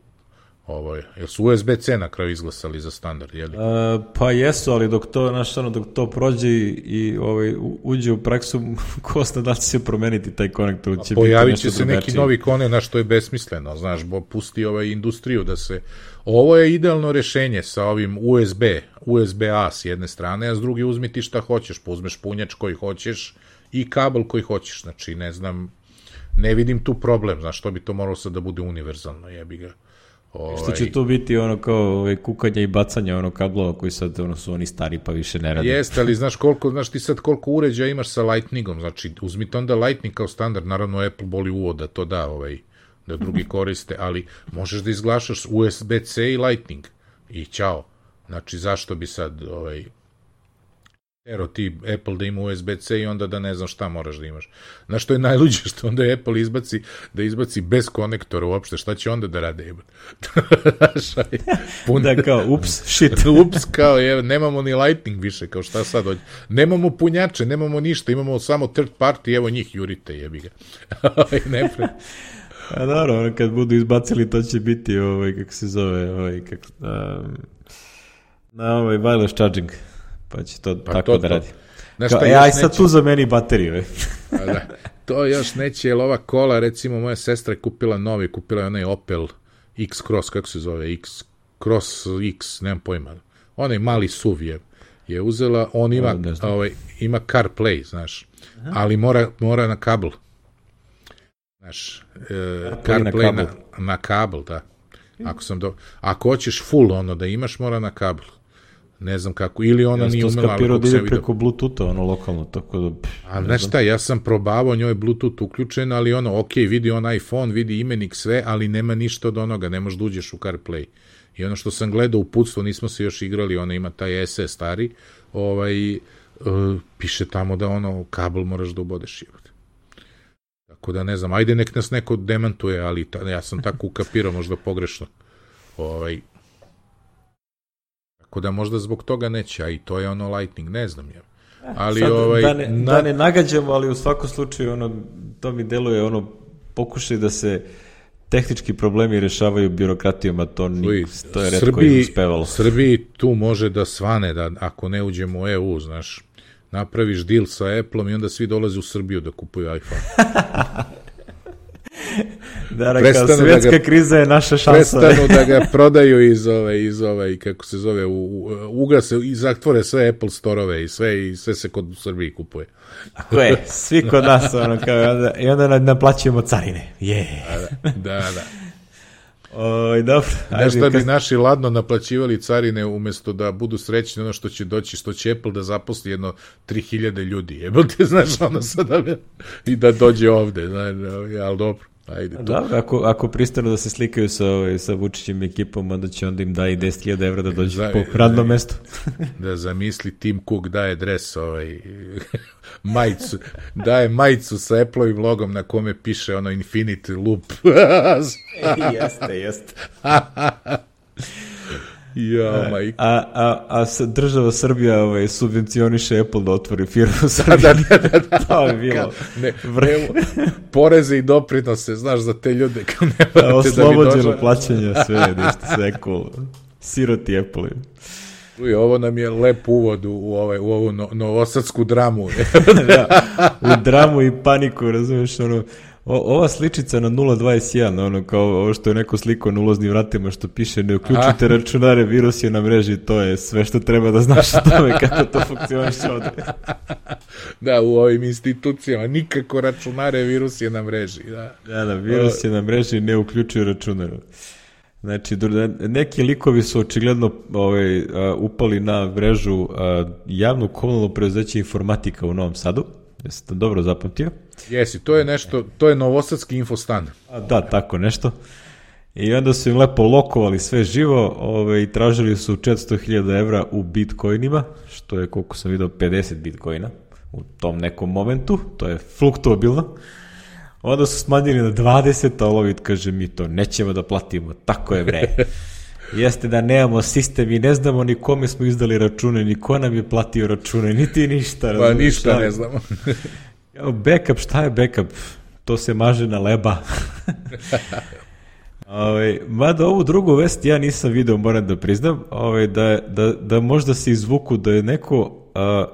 ovaj, jel su U S B C na kraju izglasali za standard, jel? Uh, pa jesu, ali dok to, znaš, ono, dok to prođe i, i ovaj, uđe u praksu, ko zna da će se promeniti taj konektor, će pojavit će se drugačiji. Neki novi konek, na što je besmisleno, znaš, bo pusti ovaj industriju da se, ovo je idealno rešenje sa ovim U S B, U S B A s jedne strane, a s druge uzmi ti šta hoćeš, pa uzmeš punjač koji hoćeš i kabel koji hoćeš, znači, ne znam, ne vidim tu problem, znaš, što bi to moralo sad da bude univerzalno, jebi ga. Ovaj... Što će to biti ono kao ovaj, kukanje i bacanje ono kablova koji sad ono, su oni stari pa više ne rade. Jeste, ali znaš koliko, znaš ti sad koliko uređaja imaš sa Lightningom, znači uzmite onda Lightning kao standard, naravno Apple boli uvod da to da, ovaj, da drugi koriste, ali možeš da izglašaš U S B C i Lightning i ćao. Znači zašto bi sad ovaj Ero ti Apple da ima U S B C i onda da ne znam šta moraš da imaš. Znaš što je najluđe, što onda Apple izbaci, da izbaci bez konektora uopšte, šta će onda da rade? Pun... Da kao, ups, shit. Ups, kao, je, nemamo ni Lightning više, kao šta sad dođe. Nemamo punjače, nemamo ništa, imamo samo third party, evo njih jurite, jebi ga. ne pre... A naravno, kad budu izbacili, to će biti, ovaj, kako se zove, ovaj, kako, um, na ovaj wireless charging. Pa će to pa tako to, da radi. Kao, e, aj sad neće... tu zameni bateriju. Da, to još neće, jer ova kola, recimo, moja sestra je kupila novi, kupila je onaj Opel X-Cross, kako se zove, X-Cross X, nemam pojma. Onaj mali S U V je, je uzela, on ima, o, ovaj, ima CarPlay, znaš, aha, ali mora, mora na kabel. Znaš, e, CarPlay na, na, na kabel, da. Ako, sam do... Ako hoćeš full ono da imaš, mora na kabel. Ne znam kako, ili ona ja nije umela... Ja sam to skapirao da ide preko Bluetootha, ono lokalno, tako da... A znaš šta, ja sam probavao, njoj je Bluetooth uključen, ali ono, ok, vidi on iPhone, vidi imenik, sve, ali nema ništa od onoga, ne možeš da uđeš u CarPlay. I ono što sam gledao u uputstvo, nismo se još igrali, ona ima taj S E stari, ovaj, uh, piše tamo da ono, kabel moraš da ubodeš. Tako da ne znam, ajde nek nas neko demantuje, ali ta, ja sam tako ukapirao, možda pogrešno. Ovaj... Tako da možda zbog toga neće, a i to je ono Lightning, ne znam ja. Ali sad, ovaj da ne, na... da ne nagađamo, ali u svakom slučaju ono, to mi deluje ono pokušaj da se tehnički problemi rešavaju birokratijom, a to, ni, to je retko i uspevalo. Srbiji tu može da svane, da ako ne uđemo u E U, znaš, napraviš deal sa Appleom i onda svi dolaze u Srbiju da kupuju iPhone. Da, kao svetska da ga, kriza je naša šansa. Prestanu da ga prodaju iz ove, iz ove, kako se zove, u, u, ugase i zatvore sve Apple storove i sve, i sve se kod u Srbiji kupuje. Tako je, svi kod nas, ono, kao, onda, i onda naplaćujemo carine. Yeah. Da, da, da. O, dobro. Nešto bi naši ladno naplaćivali carine umjesto da budu srećni ono što će doći, što će Apple da zaposli jedno tri hiljade ljudi. Jebal ti, znaš, ono sada i da dođe ovde, znaš, ali dobro. Ajde, dobro, ako, ako pristanu da se slikaju sa, ovaj, sa Vučićim ekipom, onda će onda im daje deset hiljada evra da dođe za, po radnom mestu. Da zamisli Tim Cook daje dres, ovaj, majicu, daje majicu sa Apple-ovim logom na kome piše ono Infinity Loop. Jeste, jeste. Ja, majka. A, a, a država Srbija ovaj, subvencioniše Apple da otvori firmu u Srbiji. Da, da, da, da. To je bilo. Ne, ne, poreze i doprinose, znaš, za te ljude. Kao ne da, oslobođeno da plaćanje, sve je ništa, sve cool. Siroti Apple. Uj, ovo nam je lep uvod u, u, ovaj, u ovu no, novosadsku dramu. Da, u dramu i paniku, razumiješ, ono... O, ova sličica na nula dvadeset jedan, ono kao ovo što je neko slikao na ulaznim vratima što piše ne uključite računare, virus je na mreži, to je sve što treba da znaš o tome kako to funkcioniše ovde. Da, u ovim institucijama nikako računare, virus je na mreži. Da, da, da virus je na mreži, ne uključuje računare. Znači, neki likovi su očigledno ovaj, uh, upali na mrežu uh, javnu komunalno preduzeće Informatika u Novom Sadu. Jesi to dobro zapamtio? Jesi, to je nešto, to je novosadski infostan. A, da, tako nešto. I onda su im lepo lokovali sve živo ove, i tražili su četiristo hiljada evra u bitcoinima, što je, koliko sam vidio, pedeset bitcoina u tom nekom momentu, to je fluktuabilno. Onda su smanjili na dvadeset, a Olovit kaže, mi to nećemo da platimo, tako je bre. Jeste da nemamo sistem i ne znamo ni kome smo izdali račune, ni ko nam je platio račune, niti ništa. Pa ništa ne znamo. Backup, šta je backup? To se maže na leba. Ove, mada ovu drugu vest ja nisam video, moram da priznam, ove, da, da, da možda se izvuku da je neko a,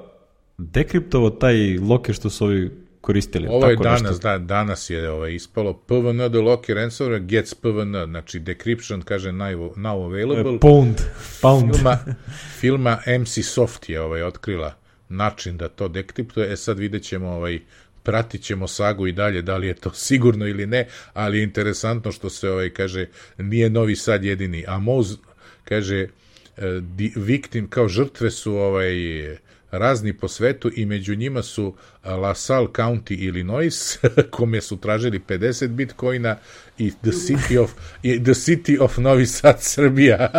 dekriptovao taj loker što su ovi koristili. Ovo je danas, da, danas je ovaj, ispalo P V N the locker answer gets P V N, znači decryption kaže now, now available. Pound. Pound. Filma, filma M C Soft je ovaj, otkrila način da to dekriptuje. E sad vidjet ćemo, ovaj, pratit ćemo sagu i dalje, da li je to sigurno ili ne, ali je interesantno što se ovaj, kaže, nije Novi Sad jedini. A Moz kaže, di, victim, kao žrtve su ovaj, razni po svetu i među njima su LaSalle County, Illinois, kome su tražili pedeset bitcoina i The City of, i The City of Novi Sad, Srbija,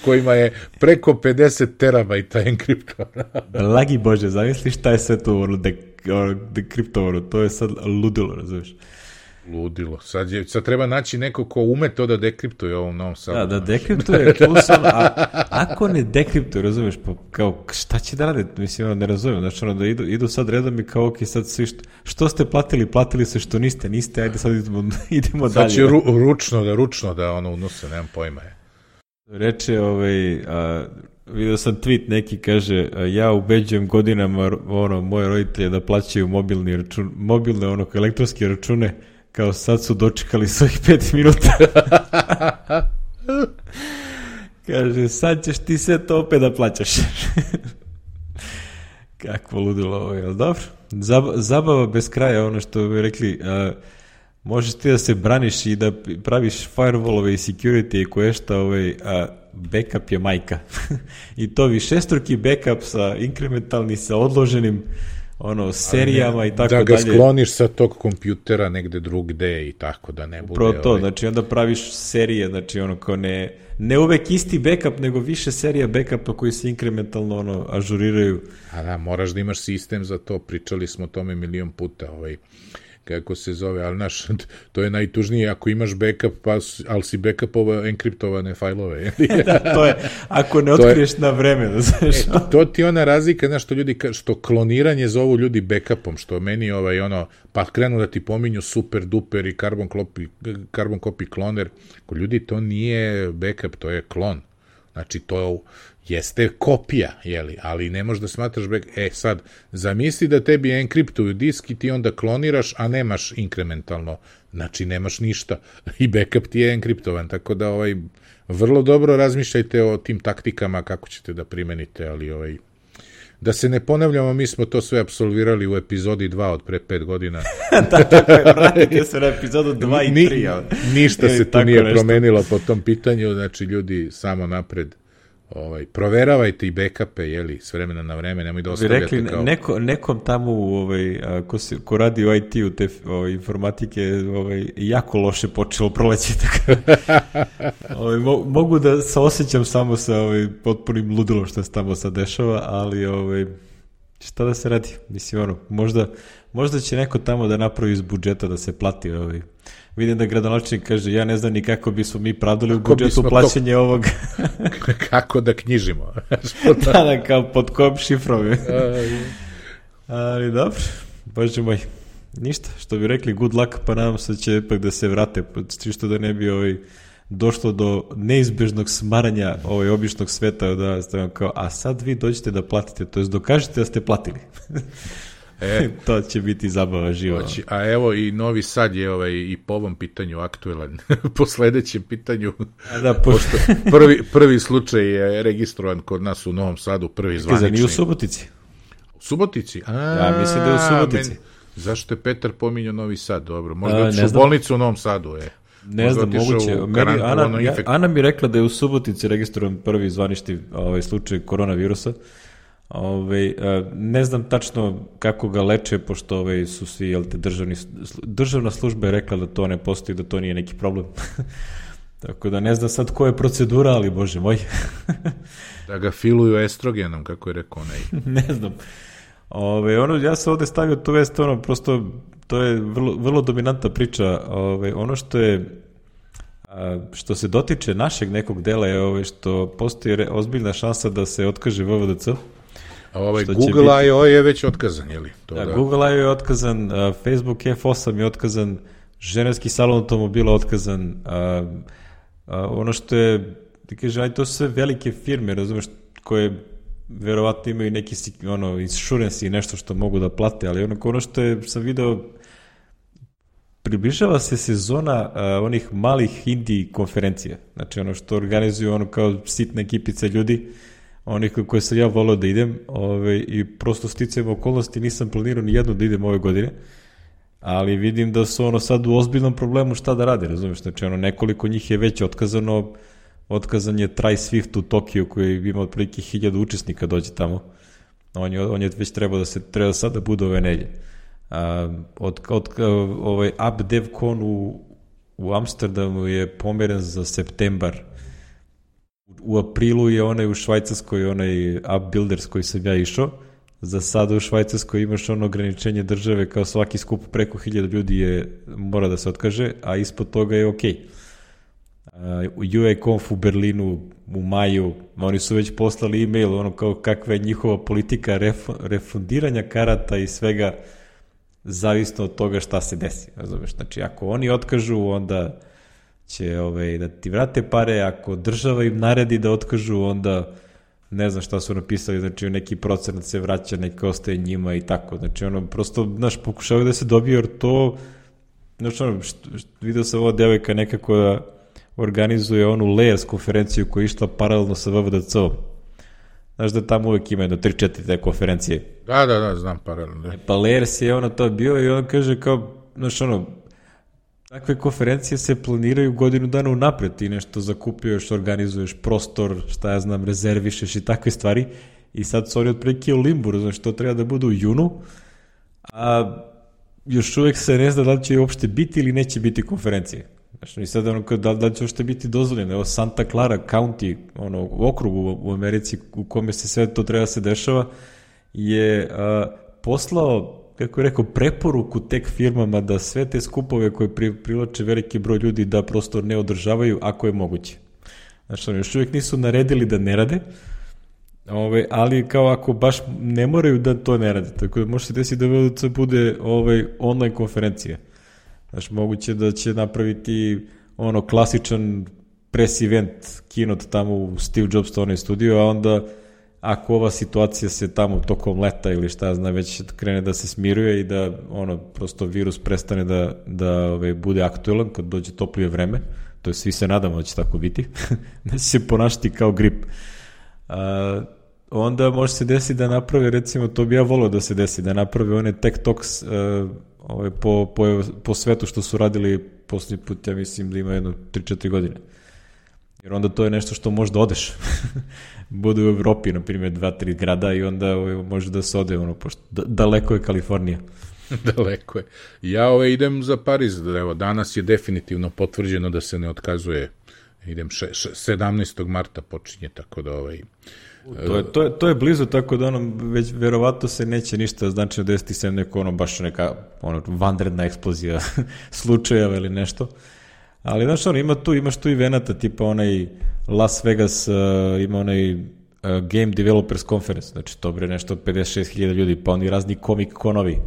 kojima je preko pedeset terabajta enkriptovano. Blagi Bože, zamisli šta je sve to ono dekriptovano, to je sad ludilo, razumiješ? Ludilo. Sad, je, sad treba naći neko ko ume to da dekriptuje ovom Novom Sadu. Da, da dekriptuje, plusom, a ako ne dekriptuje, razumiješ, pa kao, šta će da rade? Mislim, ono, ne razumijem, znači, ono, da idu, idu sad redom i kao, ok, sad svi, što, što ste platili, platili se, što niste, niste, ajde sad idemo, idemo sad dalje. Sad će ru, ručno da, ručno da, ono, unose, nemam pojma je. Reče, ovaj, a, vidio sam tweet neki, kaže, a, ja ubeđujem godinama, ono, moje roditelje da plaćaju mobilni račun, mobilne, ono, elektronske račune, kao sad su dočekali svojih pet minuta. Kaže, sad ćeš ti sve to opet da plaćaš. Kakvo ludilo ovo, jel dobro? Zab- zabava bez kraja, ono što bi rekli, a, možeš ti da se braniš i da praviš firewallove i security i koješta, ovaj, a backup je majka. I to višestruki backup sa inkrementalni, sa odloženim ono, serijama ne, i tako dalje. dalje. Da ga skloniš sa tog kompjutera negde drugde i tako da ne bude... Upravo to, ovaj... znači onda praviš serije, znači ono kao ne, ne uvek isti backup, nego više serija backupa koji se inkrementalno ono, ažuriraju. A da, moraš da imaš sistem za to, pričali smo o tome milion puta, ovaj... kako se zove, ali naš, to je najtužnije ako imaš backup, pa, ali si backupovao enkriptovane fajlove. Da, to je, ako ne otkriješ je, na vreme, da znaš. E, to ti ona razlika, znaš, što ljudi, što kloniranje zovu ljudi backupom, što meni ovaj, ono, pa krenu da ti pominju super duper i carbon copy, carbon copy kloner, ko ljudi, to nije backup, to je klon. Znači, to jeste kopija, jeli, ali ne možeš da smatraš back... E, sad, zamisli da tebi enkriptuju disk i ti onda kloniraš, a nemaš inkrementalno. Znači, nemaš ništa. I backup ti je enkriptovan, tako da ovaj, vrlo dobro razmišljajte o tim taktikama kako ćete da primenite, ali ovaj... Da se ne ponavljamo, mi smo to sve apsolvirali u epizodi dva od pre pet godina. Da, tako je, vratite se na epizodu dva i tri. Ni, ništa se tu nije nešto promenilo po tom pitanju, znači ljudi samo napred. Ovaj, proveravajte i backupe, jeli, s vremena na vreme, nemoj da ostavljate rekli, kao... Neko, nekom tamo, ovaj, a, ko, se, ko radi u I T-u te ovaj, informatike, ovaj, jako loše počelo proleći. ovaj, mo, mogu da se osjećam samo sa ovaj, potpunim ludilom što se tamo sad dešava, ali ovaj, šta da se radi? Mislim, ono, možda, možda će neko tamo da napravi iz budžeta da se plati ovaj. Vidim da gradonačelnik kaže, ja ne znam ni kako bismo mi pravdali u budžetu plaćanje to... ovog. Kako da knjižimo? Da, da, kao pod kojom šifrom. Ali dobro, bože moj. Ništa, što bi rekli, good luck, pa nadam se da će ipak da se vrate, čisto da ne bi ovaj, došlo do neizbežnog smaranja ovaj, običnog sveta, da stavim kao, a sad vi dođete da platite, to jest dokažete da ste platili. E, to će biti zabava živa. A evo i Novi Sad je ovaj, i po ovom pitanju aktuelan. Po sledećem pitanju, da, po... pošto prvi, prvi slučaj je registrovan kod nas u Novom Sadu, prvi zvanični. Nije u Subotici. U Subotici? A, ja mislim da je u Subotici. Men, zašto je Petar pominjao Novi Sad? Dobro, možda otišao u bolnicu u Novom Sadu. Je. Ne možda znam, moguće. Meni, Ana, ja, Ana mi rekla da je u Subotici registrovan prvi zvanični ovaj, slučaj koronavirusa. Ove, ne znam tačno kako ga leče, pošto ove, su svi, jel te, državni, državna služba je rekla da to ne postoji, da to nije neki problem. Tako da ne znam sad koja je procedura, ali bože moj. Da ga filuju estrogenom, kako je rekao onaj. Ne znam. Ove, ono, ja sam ovde stavio tu vest, ono, prosto, to je vrlo, vrlo dominantna priča. Ove, ono što je, a, što se dotiče našeg nekog dela je ove, što postoji re, ozbiljna šansa da se otkaže V V D C. A ovaj Google I O je već otkazan, je li? To da, da... Google I O je otkazan, uh, Facebook F osam je otkazan, ženevski salon automobila otkazan, uh, uh, ono što je, ti kaže, aj to su sve velike firme, razumeš, koje verovatno imaju neki ono, insurance i nešto što mogu da plate, ali ono, ono što je, sam video, približava se sezona uh, onih malih indie konferencija, znači ono što organizuju ono kao sitne ekipice ljudi, onih koje sam ja volao da idem, ove, i prosto sticajem okolnosti nisam planirao ni jednu da idem ove godine, ali vidim da su ono sad u ozbiljnom problemu šta da rade, razumiješ, znači ono nekoliko njih je već otkazano, otkazan je Try Swift u Tokiju koji ima otprilike hiljadu učesnika dođe tamo, On je, on je već trebao da se, treba sad da bude ove nedje. Uh, od, od, ovaj App DevCon u, u Amsterdamu je pomeren za septembar. U aprilu je onaj u Švajcarskoj, onaj App Builders koji sam ja išao. Za sada u Švajcarskoj imaš ono ograničenje države, kao svaki skup preko hiljada ljudi je, mora da se otkaže, a ispod toga je okej. Okay. Uh, U A Conf u Berlinu u maju, oni su već poslali e-mail, ono kao kakva je njihova politika ref, refundiranja karata i svega, zavisno od toga šta se desi. Razumeš? Znači, ako oni otkažu, onda će ovaj, da ti vrate pare, ako država im naredi da otkažu, onda ne znam šta su napisali, znači neki procenat se vraća, neki ostaje njima i tako. Znači, ono, prosto, znaš, pokušavaju da se dobije, jer to, znači, ono, što, što, vidio sam ova devojka nekako da organizuje onu Layers konferenciju koja je išla paralelno sa V V D C-om. Znaš da tamo uvek ima jedno tri četiri te konferencije. Da, da, da, znam paralelno. E, pa Layers je ono to bio i on kaže kao, znaš ono, takve konferencije se planiraju godinu dana unapred, ti nešto zakupuješ, organizuješ prostor, šta ja znam, rezervišeš i takve stvari i sad su oni otprilike u limbu, znaš, to treba da bude u junu, a još uvek se ne zna da li će uopšte biti ili neće biti konferencije. Znači, i sad ono, da, da će uopšte biti dozvoljeno. Evo, Santa Clara County, ono, u okrugu u Americi u kome se sve to treba se dešava, je a, poslao, kako je rekao, preporuku tek firmama da sve te skupove koje pri, privlače veliki broj ljudi da prosto ne održavaju ako je moguće. Znači, oni još uvijek nisu naredili da ne rade, ove, ali kao ako baš ne moraju da to ne rade. Tako da može se desiti da V V D C bude ovaj, online konferencija. Znači, moguće da će napraviti ono klasičan press event keynote tamo u Steve Jobs onaj studio, a onda ako ova situacija se tamo tokom leta ili šta zna već krene da se smiruje i da ono prosto virus prestane da, da ove, bude aktuelan kad dođe toplije vreme, to je svi se nadamo da će tako biti, da će se ponašati kao grip. A, onda može se desiti da naprave, recimo, to bi ja volio da se desi, da naprave one Tech Talks uh, ove, po, po, po svetu što su radili posljednji put, ja mislim da ima jedno tri četiri godine. Jer onda to je nešto što možda odeš. Bude u Evropi, na primjer, dva tri grada i onda ove, može da se ode, ono, pošto da, daleko je Kalifornija. Daleko je. Ja ove, idem za Pariz, evo, danas je definitivno potvrđeno da se ne otkazuje. Idem še, še, sedamnaestog marta počinje, tako da ovaj... To je, to, je, to je blizu, tako da ono, već verovatno se neće ništa značajno desiti se neko, ono, baš neka ono, vanredna eksplozija slučajeva ili nešto. Ali, znaš, ono, ima tu, imaš tu i venata, tipa onaj Las Vegas, uh, ima onaj uh, Game Developers Conference, znači to bre nešto pedeset šest hiljada ljudi, pa oni razni komik konovi,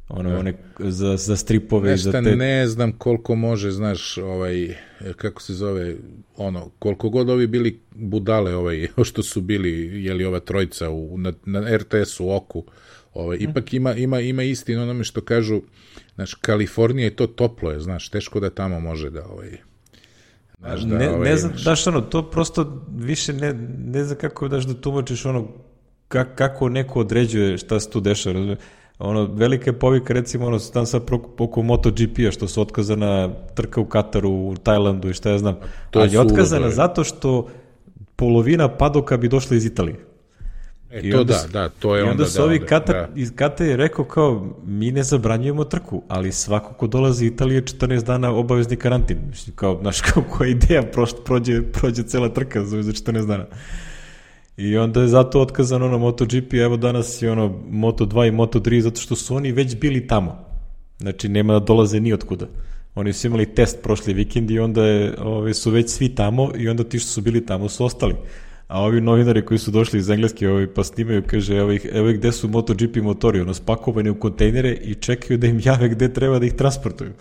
ono, ja. one za, za stripove i za te... Ne znam koliko može, znaš, ovaj, kako se zove, ono, koliko god ovi bili budale, ovaj, što su bili, jeli ova trojica u, na, na R T S-u, Oku, ovaj, hmm. ipak ima, ima, ima istinu onome što kažu, znaš, Kalifornija je to toplo je, znaš, teško da tamo može da, ovaj, znaš, da, ne, ovaj, ne znam, daš ono, to prosto više ne, ne znam kako daš da tumačiš ono, kak, kako neko određuje šta se tu dešava, razumije? Ono, velika je povika, recimo, ono, tam sad oko MotoGP-a, što su otkazana trka u Kataru, u Tajlandu i šta ja znam, to ali je otkazana zato što polovina padoka bi došla iz Italije. E, I to onda, da, da, to je onda, onda su ovi da, Katar, da. iz Katara je rekao kao, mi ne zabranjujemo trku, ali svako ko dolazi iz Italije četrnaest dana obavezni karantin. Mislim, kao, znaš, kao koja ideja prođe, prođe cela trka za četrnaest dana. I onda je zato otkazano na MotoGP, evo danas je ono Moto dva i Moto tri, zato što su oni već bili tamo. Znači, nema da dolaze ni otkuda. Oni su imali test prošli vikend i onda je, ove, su već svi tamo i onda ti što su bili tamo su ostali. A ovi novinari koji su došli iz Engleske ovi, pa snimaju, kaže, evo ih, evo ih gde su MotoGP motori, ono, spakovani u kontejnere i čekaju da im jave gde treba da ih transportuju.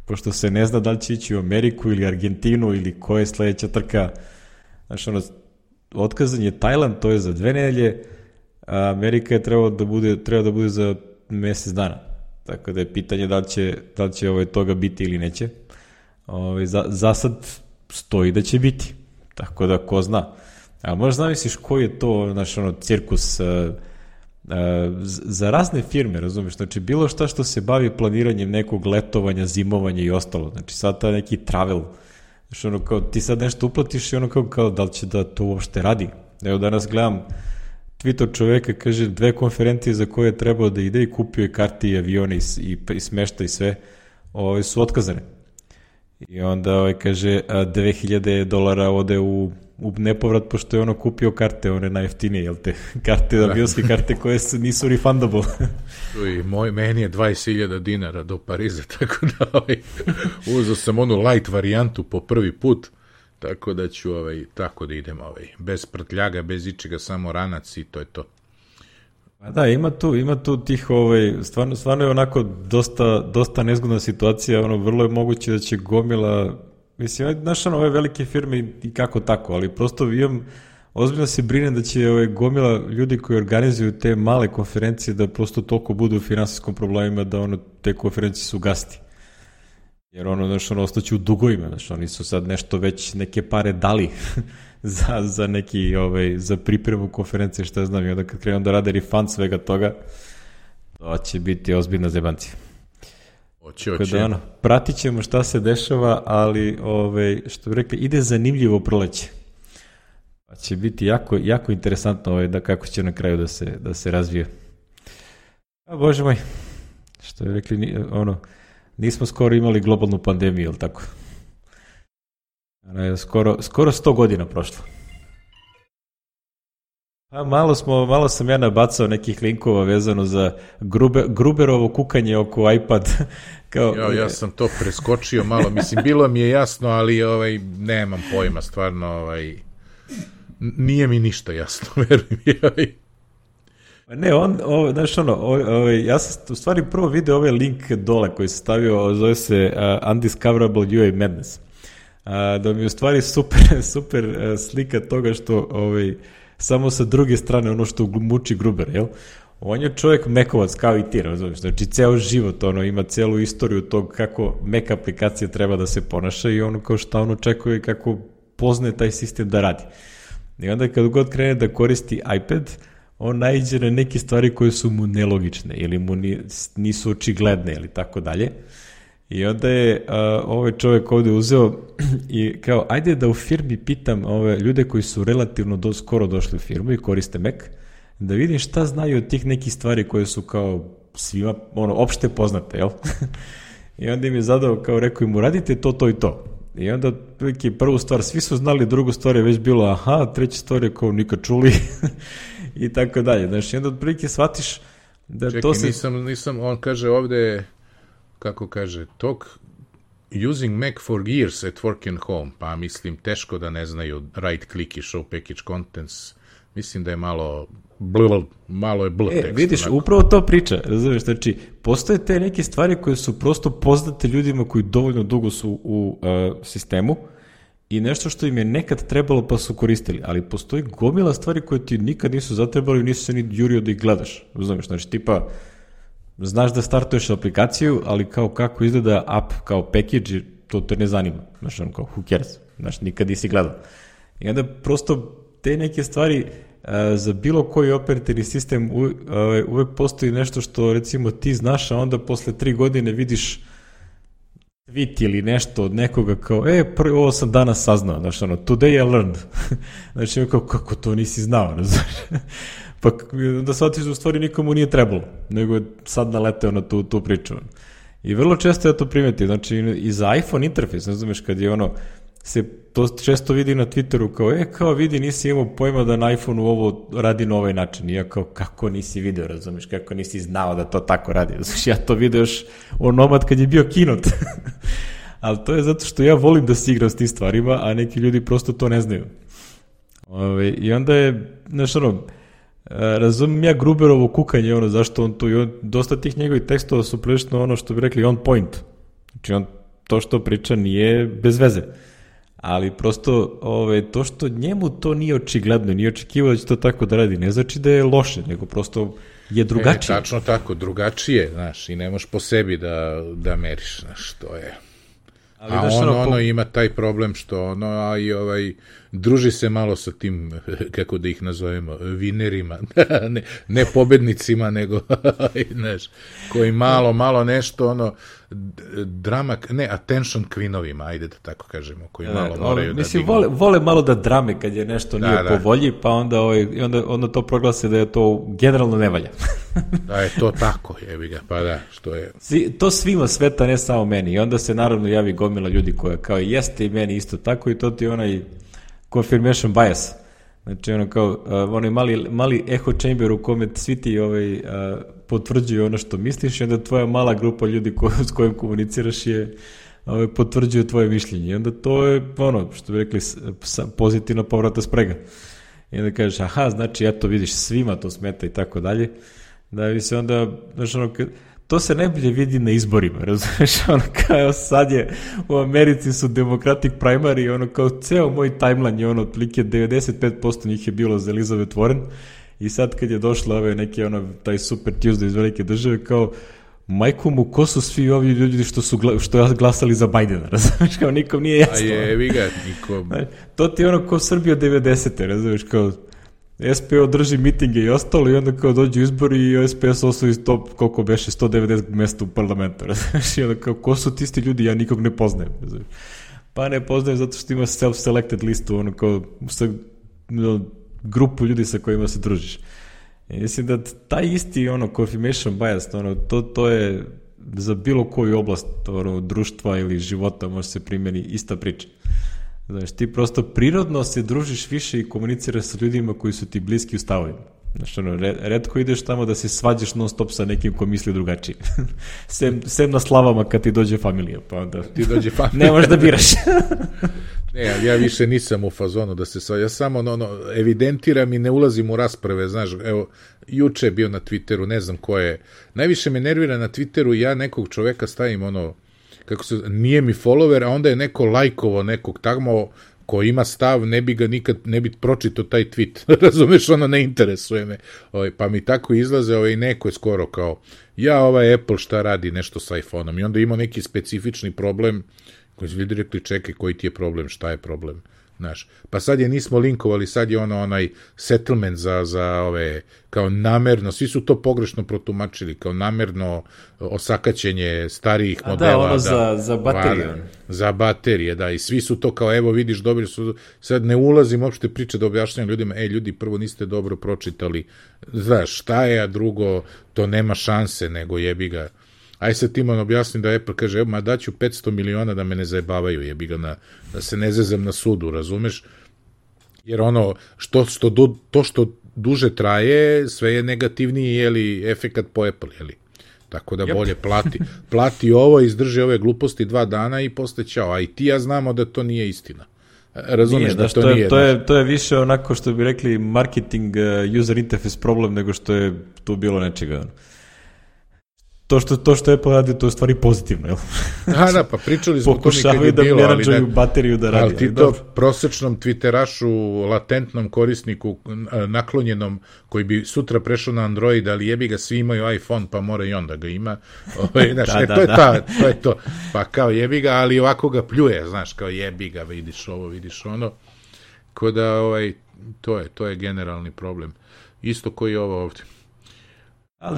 Pošto se ne zna da li će ići u Ameriku ili Argentinu ili koja je sledeća trka. Znači, ono, otkazan je Tajland, to je za dve nedelje, a Amerika je trebala da bude, treba da bude za mesec dana. Tako da je pitanje da li će, da li će ovaj, toga biti ili neće. Ovaj, za, za sad stoji da će biti. Tako da ko zna. A možda zamisliš koji je to naš ono, cirkus uh, uh, za razne firme, razumiješ? Znači bilo šta što se bavi planiranjem nekog letovanja, zimovanja i ostalo. Znači sad ta neki travel. Znači ono kao ti sad nešto uplatiš i ono kao, kao da li će da to uopšte radi. Evo danas gledam Twitter čoveka, kaže, dve konferencije za koje je trebao da ide i kupio je karte i avione i, i, i smešta i sve, ove, su otkazane. I onda ove, kaže, dve hiljade dolara ode u, u nepovrat, pošto je ono kupio karte, one najjeftinije, jel te, karte, avionske karte koje su, nisu refundable. I moj, meni je dvadeset hiljada dinara do Pariza, tako da ovaj, uzeo sam onu light varijantu po prvi put, tako da ću ovaj, tako da idem ovaj, bez prtljaga, bez ičega, samo ranac i to je to. Pa da, ima tu, ima tu tih, ovaj, stvarno, stvarno je onako dosta, dosta nezgodna situacija, ono, vrlo je moguće da će gomila, mislim, znaš, ono, ove velike firme i kako tako, ali prosto imam, ozbiljno se brinem da će ove, gomila ljudi koji organizuju te male konferencije da prosto toliko budu u finansijskom problemima da ono, te konferencije su gasti. Jer ono, znaš, ono, ostaće u dugovima, znaš, oni su sad nešto već neke pare dali za, za neki, ovaj, za pripremu konferencije, šta znam, i onda kad krenu da rade refund svega toga, to će biti ozbiljna zebancija. Oće, oće. Da, ono, pratit ćemo šta se dešava, ali, ovaj, što bi rekli, ide zanimljivo proleće. Pa će biti jako, jako interesantno ovaj, da kako će na kraju da se, da se razvije. A bože moj, što bi rekli, ono, nismo skoro imali globalnu pandemiju, ili tako? Skoro, skoro sto godina prošlo. A malo, smo, malo sam ja nabacao nekih linkova vezano za Gruber, Gruberovo kukanje oko iPad. Kao, ja, ja sam to preskočio malo, mislim, bilo mi je jasno, ali ovaj, nemam pojma, stvarno, ovaj, nije mi ništa jasno, verujem mi. Ovaj. Ne, on, ovo, znaš ono, ovo, ja sam u stvari prvo video ovaj link dole koji se stavio, zove se uh, Undiscoverable U A Madness. Uh, da mi je u stvari super, super uh, slika toga što ovaj, samo sa druge strane ono što muči Gruber, jel? On je čovjek mekovac kao i ti, razumiješ, znači ceo život ono, ima celu istoriju tog kako Mac aplikacija treba da se ponaša i ono kao šta on očekuje i kako poznaje taj sistem da radi. I onda kad god krene da koristi iPad, on naiđe na neke stvari koje su mu nelogične ili mu nisu očigledne ili tako dalje. I onda je uh, ovaj čovjek ovde uzeo i kao, ajde da u firmi pitam ove ljude koji su relativno do, skoro došli u firmu i koriste Mac, da vidim šta znaju od tih nekih stvari koje su kao svima, ono, opšte poznate, jel? I onda im je zadao, kao rekao im, radite to, to i to. I onda prvu stvar, svi su znali, drugu stvar je već bilo, aha, treća stvar je kao nikad čuli i tako dalje. Znači, i onda otprilike shvatiš da Čekaj, to se... nisam, nisam, on kaže ovde, kako kaže, talk using Mac for years at work and home, pa mislim, teško da ne znaju right click i show package contents, mislim da je malo bl, malo je bl e, tekst. Vidiš, onako. Upravo to priča, razumiješ, znači, postoje te neke stvari koje su prosto poznate ljudima koji dovoljno dugo su u uh, sistemu i nešto što im je nekad trebalo pa su koristili, ali postoji gomila stvari koje ti nikad nisu zatrebali i nisu se ni jurio da ih gledaš, razumiješ, znači, tipa, znaš da startuješ aplikaciju, ali kao kako izgleda app kao package, to te ne zanima, znaš, on kao, who cares, znaš, nikad nisi gledao. I onda prosto te neke stvari za bilo koji operativni sistem uvek postoji nešto što recimo ti znaš, a onda posle tri godine vidiš tweet ili nešto od nekoga kao, e, prvo ovo sam danas saznao, znaš, ono, today I learned. Znači, kao, kako to nisi znao, ne znaš? Pa da shvatiš da u stvari nikomu nije trebalo, nego je sad naleteo na tu, tu priču. I vrlo često ja to primetim, znači i za iPhone interfejs, ne znaš, kad je ono, se to često vidi na Twitteru kao, e, kao vidi, nisi imao pojma da na iPhoneu ovo radi na ovaj način. I ja kao, kako nisi video, razumiješ, kako nisi znao da to tako radi. Znači, ja to vidio još onomad kad je bio Keynote. Ali to je zato što ja volim da se igram s tim stvarima, a neki ljudi prosto to ne znaju. Ove, I onda je, znaš, ono, razumijem ja Gruberovo kukanje, ono, zašto on tu, i on, dosta tih njegovih tekstova su prilično ono što bi rekli on point. Znači, on to što priča nije bez veze. Ali prosto ove, to što njemu to nije očigledno, nije očekivao da će to tako da radi, ne znači da je loše, nego prosto je drugačije. E, tačno tako, drugačije, znaš, i ne možeš po sebi da, da meriš, znaš, to je. Ali, a on, ono, ono po... ima taj problem što ono, a i ovaj, druži se malo sa tim, kako da ih nazovemo, vinerima, ne, ne pobednicima, nego, znaš, koji malo, malo nešto, ono, drama, ne, attention queenovima, ajde da tako kažemo, koji da, malo moraju da mislim, dignu. Vole, vole malo da drame kad je nešto nije da, po da. volji, pa onda, ovaj, onda, onda to proglase da je to generalno ne valja. Da je to tako, jebi ga, pa da, što je... Svi, to svima sveta, ne samo meni, i onda se naravno javi gomila ljudi koja kao jeste i meni isto tako i to ti je onaj confirmation bias. Znači, ono kao, uh, onaj mali, mali echo chamber u kome svi ti ovaj, uh, potvrđuju ono što misliš i onda tvoja mala grupa ljudi ko, s kojim komuniciraš je ovaj, potvrđuju tvoje mišljenje. I onda to je ono, što bi rekli, pozitivna povrata sprega. I onda kažeš, aha, znači, eto, vidiš, svima to smeta i tako dalje. Da bi se onda, znači, ono, to se najbolje vidi na izborima, razumiješ, ono kao sad je u Americi su Democratic primary, ono kao ceo moj timeline je ono, otprilike devedeset pet posto njih je bilo za Elizabeth Warren i sad kad je došla ove neke, ono, taj Super Tuesday iz velike države, kao majku mu, ko su svi ovi ljudi što su što glasali za Bidena, razumiješ, kao nikom nije jasno. A je, vi ga, nikom. To ti je ono ko Srbija devedesete, razumiješ, kao S P O drži mitinge i ostalo i onda kao dođu izbori i S P S osvoji sto, koliko beše, sto devedeset mesta u parlamentu, razumiješ, i onda kao, ko su ti isti ljudi, ja nikog ne poznajem, razumiješ. Pa ne poznajem zato što ima self-selected listu, ono kao, sa no, grupu ljudi sa kojima se družiš. I mislim da taj isti, ono, confirmation bias, ono, to, to je za bilo koju oblast, ono, društva ili života može se primjeni ista priča. Znaš, ti prosto prirodno se družiš više i komuniciraš sa ljudima koji su ti bliski u stavovima. Znaš, ono, retko ideš tamo da se svađaš non stop sa nekim ko misli drugačije. sem, sem na slavama kad ti dođe familija, pa onda ti dođe familija. Ne možeš da biraš. Ne, ja više nisam u fazonu da se svađa. Ja samo no, no, evidentiram i ne ulazim u rasprave. Znaš, evo, juče je bio na Twitteru, ne znam ko je. Najviše me nervira na Twitteru, ja nekog čoveka stavim ono, kako se, nije mi follower, a onda je neko lajkovo nekog tamo ko ima stav, ne bi ga nikad, ne bi pročitao taj tweet. Razumeš, ono ne interesuje me. Ovaj, pa mi tako izlaze, ovaj, neko je skoro kao, ja, ovaj Apple šta radi nešto sa iPhone-om. I onda ima neki specifični problem koji su ljudi rekli, čekaj, koji ti je problem, šta je problem? Znaš, pa sad je nismo linkovali, sad je ono onaj settlement za, za ove, kao namerno, svi su to pogrešno protumačili, kao namerno osakaćenje starijih A modela. Da, ono da, za, za baterije. Va, za baterije, da, i svi su to kao, evo vidiš, dobri su, sad ne ulazim uopšte priče da objašnjam ljudima, e, ljudi, prvo niste dobro pročitali, znaš, šta je, a drugo, to nema šanse, nego jebi ga. Aj sad Timon objasni da Apple kaže, evo, ma daću petsto miliona da me ne zajebavaju, jebi ga, na, da se ne zezem na sudu, razumeš? Jer ono, što, što, to što duže traje, sve je negativniji, jeli, efekat po Apple, jeli? Tako da bolje plati. Plati ovo, izdrži ove gluposti dva dana i posle ćao. A i ti ja znamo da to nije istina. Razumeš nije, da, da to, to nije. To je, to je više onako što bi rekli marketing uh, user interface problem nego što je tu bilo nečega. To što, to što Apple radi, to je stvari pozitivno, jel? Da, da, pa pričali smo to nikad je da bilo, ali ne, bateriju da radi. Ali ti to prosečnom twitterašu, latentnom korisniku, naklonjenom, koji bi sutra prešao na Android, ali jebi ga, svi imaju iPhone, pa mora i on da ga ima. Ove, znaš, da, e, da, to, je da. Ta, to je to. Pa kao jebi ga, ali ovako ga pljuje, znaš, kao jebi ga, vidiš ovo, vidiš ono. Ko da, ovaj, to je, to je generalni problem. Isto koji je ovo ovdje.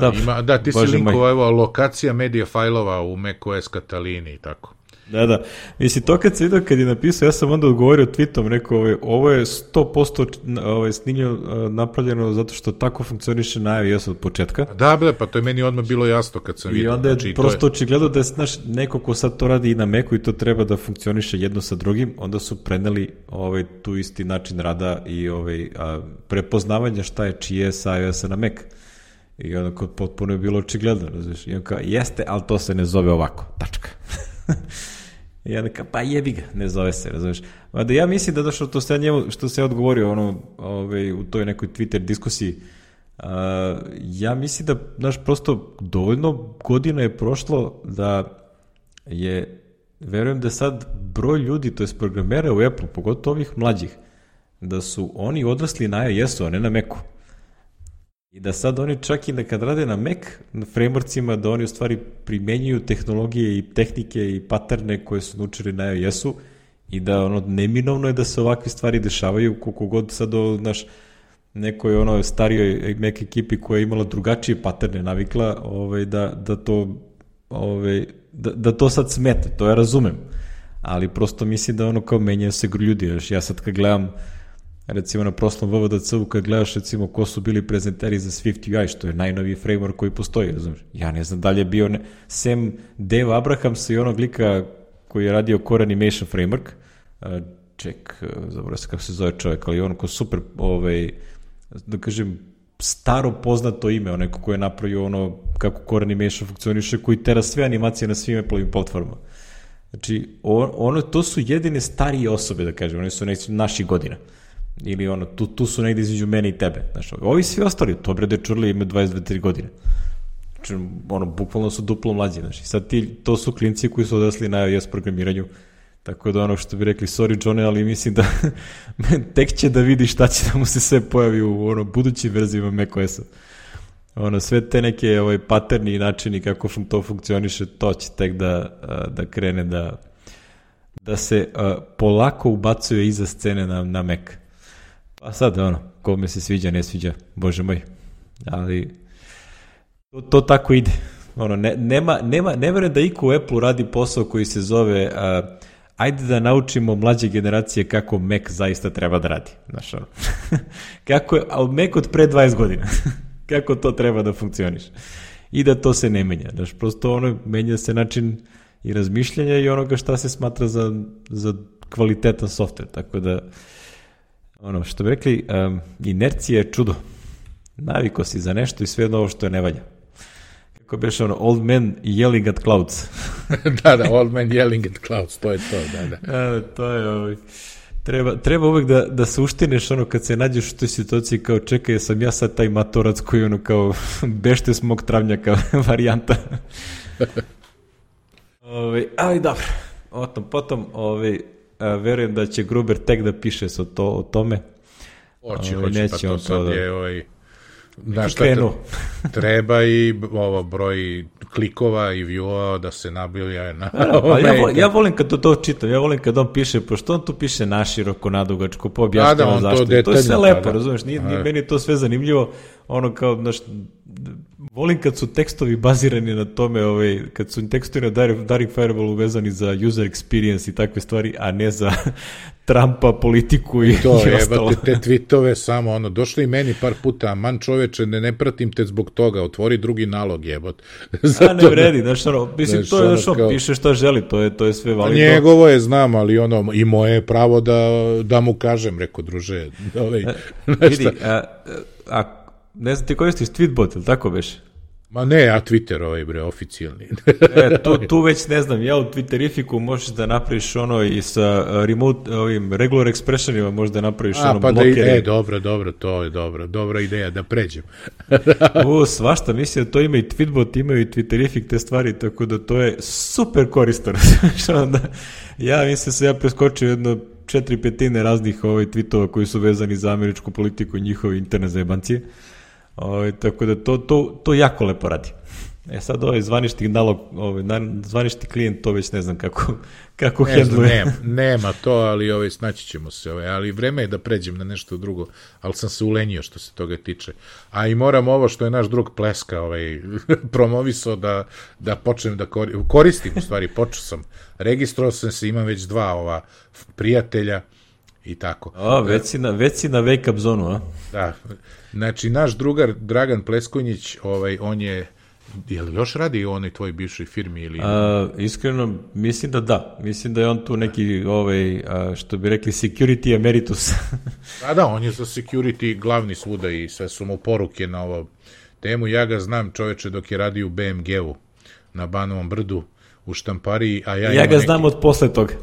Da, ima, da, ti si linkovao, evo, lokacija medija fajlova u macOS Catalini i tako. Da, da. Mislim, to kad se vidio, kad je napisao, ja sam onda odgovorio tweetom, rekao, ovaj, ovo je sto posto ovaj, snimljeno, napravljeno zato što tako funkcioniše na iOS od početka. Da, bre, pa to je meni odmah bilo jasno kad sam vidio. I onda je znači, prosto je... očigledno da je, znaš, neko ko sad to radi i na Macu i to treba da funkcioniše jedno sa drugim, onda su preneli ovaj, tu isti način rada i ovaj, a, prepoznavanja šta je čije sa iOS-a na Mac. I onda kod potpuno je bilo očigledno, razviš, i on kao, jeste, ali to se ne zove ovako, tačka. I onda kao, pa jebi ga, ne zove se, razviš. Da ja mislim da došlo to sve njemu, što se je odgovorio ono, ovaj, u toj nekoj Twitter diskusiji, uh, ja mislim da, znaš, prosto dovoljno godina je prošlo da je, verujem da sad broj ljudi, to je programera u Apple, pogotovo ovih mlađih, da su oni odrasli na iOS-u, a ne na Macu. I da sad oni čak i da kad rade na Mac, na frameworkcima, da oni u stvari primenjuju tehnologije i tehnike i paterne koje su naučili na iOS-u i da ono, neminovno je da se ovakve stvari dešavaju, koliko god sad o, naš, nekoj ono starijoj Mac ekipi koja je imala drugačije paterne navikla, ovaj, da, da, to, ovaj, da, da to sad smeta, to ja razumem, ali prosto mislim da ono kao menjaju se ljudi, još ja sad kad gledam recimo na proslom V V D C-u, kad gledaš recimo ko su bili prezenteri za Swift U I, što je najnoviji framework koji postoji, razumiješ? Ja ne znam da li je bio, ne, sem Dave Abrahamsa i onog lika koji je radio Core Animation Framework, uh, ček, uh, zaboravim se kako se zove čovjek, ali ono ko super, ovaj, da kažem, staro poznato ime, onako koji je napravio ono kako Core Animation funkcioniše, koji tera sve animacije na svim Apple-ovim platformama. Znači, ono, to su jedine starije osobe, da kažem, oni su neki naši godina. Ili ono, tu, tu su negdje između mene i tebe. Znači, ovi svi ostali, to bre dečurli imaju dvadeset dve godine. Znači, ono, bukvalno su duplo mlađi. Znači, sad ti, to su klinci koji su odrasli na iOS programiranju. Tako da ono što bi rekli, sorry Johne, ali mislim da tek će da vidi šta će da mu se sve pojavi u ono, budućim verzijama macOS-a. Ono, sve te neke ovaj, paterni načini kako to funkcioniše, to će tek da, da krene da, da se uh, polako ubacuje iza scene na, na Mac. Pa sad, ono, kome se sviđa, ne sviđa, bože moj. Ali to, to tako ide. Ono, ne, nema, nema, ne verujem da iko u Apple radi posao koji se zove uh, ajde da naučimo mlađe generacije kako Mac zaista treba da radi. Znaš, ono. Kako je, ali Mac od pre dvadeset godina. Kako to treba da funkcioniše. I da to se ne menja. Znaš, prosto ono, menja se način i razmišljanja i onoga šta se smatra za, za kvalitetan software. Tako da, ono, što bi rekli, um, inercija je čudo. Naviko si za nešto i sve ovo što je ne valja. Kako bi ono, old man yelling at clouds. da, da, old man yelling at clouds, to je to, da, da. A, to je ovaj... Treba, treba uvek da, da se uštineš ono kad se nađeš u toj situaciji kao čekaj, sam ja sad taj matorac koji ono kao bešte s mog travnjaka varijanta. Ove, ali dobro, o tom potom ove, a, verujem da će Gruber tek da piše o, to, o tome. Hoće, hoće, pa to sad da... je ovaj... Znaš šta treba i ovo broj klikova i view-a da se nabilja na... Pa ja, volim, ja volim kad to, to čitam, ja volim kad on piše, pošto on tu piše naširoko, nadugačko, poobjašnjava zašto. To, to je sve lepo, da, razumiješ, nije, nije meni to sve zanimljivo, ono kao, znaš, volim kad su tekstovi bazirani na tome, ovaj, kad su tekstovi na Daring Fireball vezani za user experience i takve stvari, a ne za Trumpa, politiku i, to, i ostalo. To je, te tweetove samo, ono, došli i meni par puta, man čoveče, ne, ne pratim te zbog toga, otvori drugi nalog, jebot. A ne vredi, znaš, ono, mislim, to je, znaš, on kao... piše šta želi, to je, to je sve validno. Njegovo je, znam, ali ono, i moje je pravo da, da mu kažem, reko, druže, ovaj, vidi, a, a ne znam, ti koristiš Tweetbot, ili tako beš? Ma ne, ja Twitter ovaj bre, oficijalni. e, tu, tu već ne znam, ja u Twitterifiku možeš da napraviš ono i sa remote, ovim regular expressionima možeš da napraviš A, ono pa blokere. Da, e, dobro, dobro, to je dobro, dobra ideja, da pređem. U, svašta, mislim da to ima i Tweetbot, imaju i Twitterifik te stvari, tako da to je super koristan. ja mislim da sam ja preskočio jedno četiri petine raznih ovaj, tweetova koji su vezani za američku politiku i njihove interne zajebancije. Ovaj, tako da to, to, to jako lepo radi. E sad ovaj zvanični nalog, ovaj, zvanični klijent, to već ne znam kako, kako ne hendluje. Nema, nema to, ali ovaj, snaći ćemo se. Ovaj, ali vreme je da pređem na nešto drugo, ali sam se ulenio što se toga tiče. A i moram ovo što je naš drug Pleska ovaj, promovisao da, da počnem da koristim, koristim u stvari, počeo sam. Registrovao sam se, imam već dva ova prijatelja i tako. O, već si na, već si na wake up zonu, a? Da, znači naš drugar Dragan Pleskonjić, ovaj, on je, je li još radi u onoj tvojoj bivšoj firmi ili... A, iskreno, mislim da da, mislim da je on tu neki, ovaj, a, što bi rekli, security emeritus. da, da, on je za security glavni svuda i sve su mu poruke na ovo temu, ja ga znam čoveče dok je radio u B M G-u na Banovom brdu, u štampariji, a ja, ja ga neki... znam od posle toga.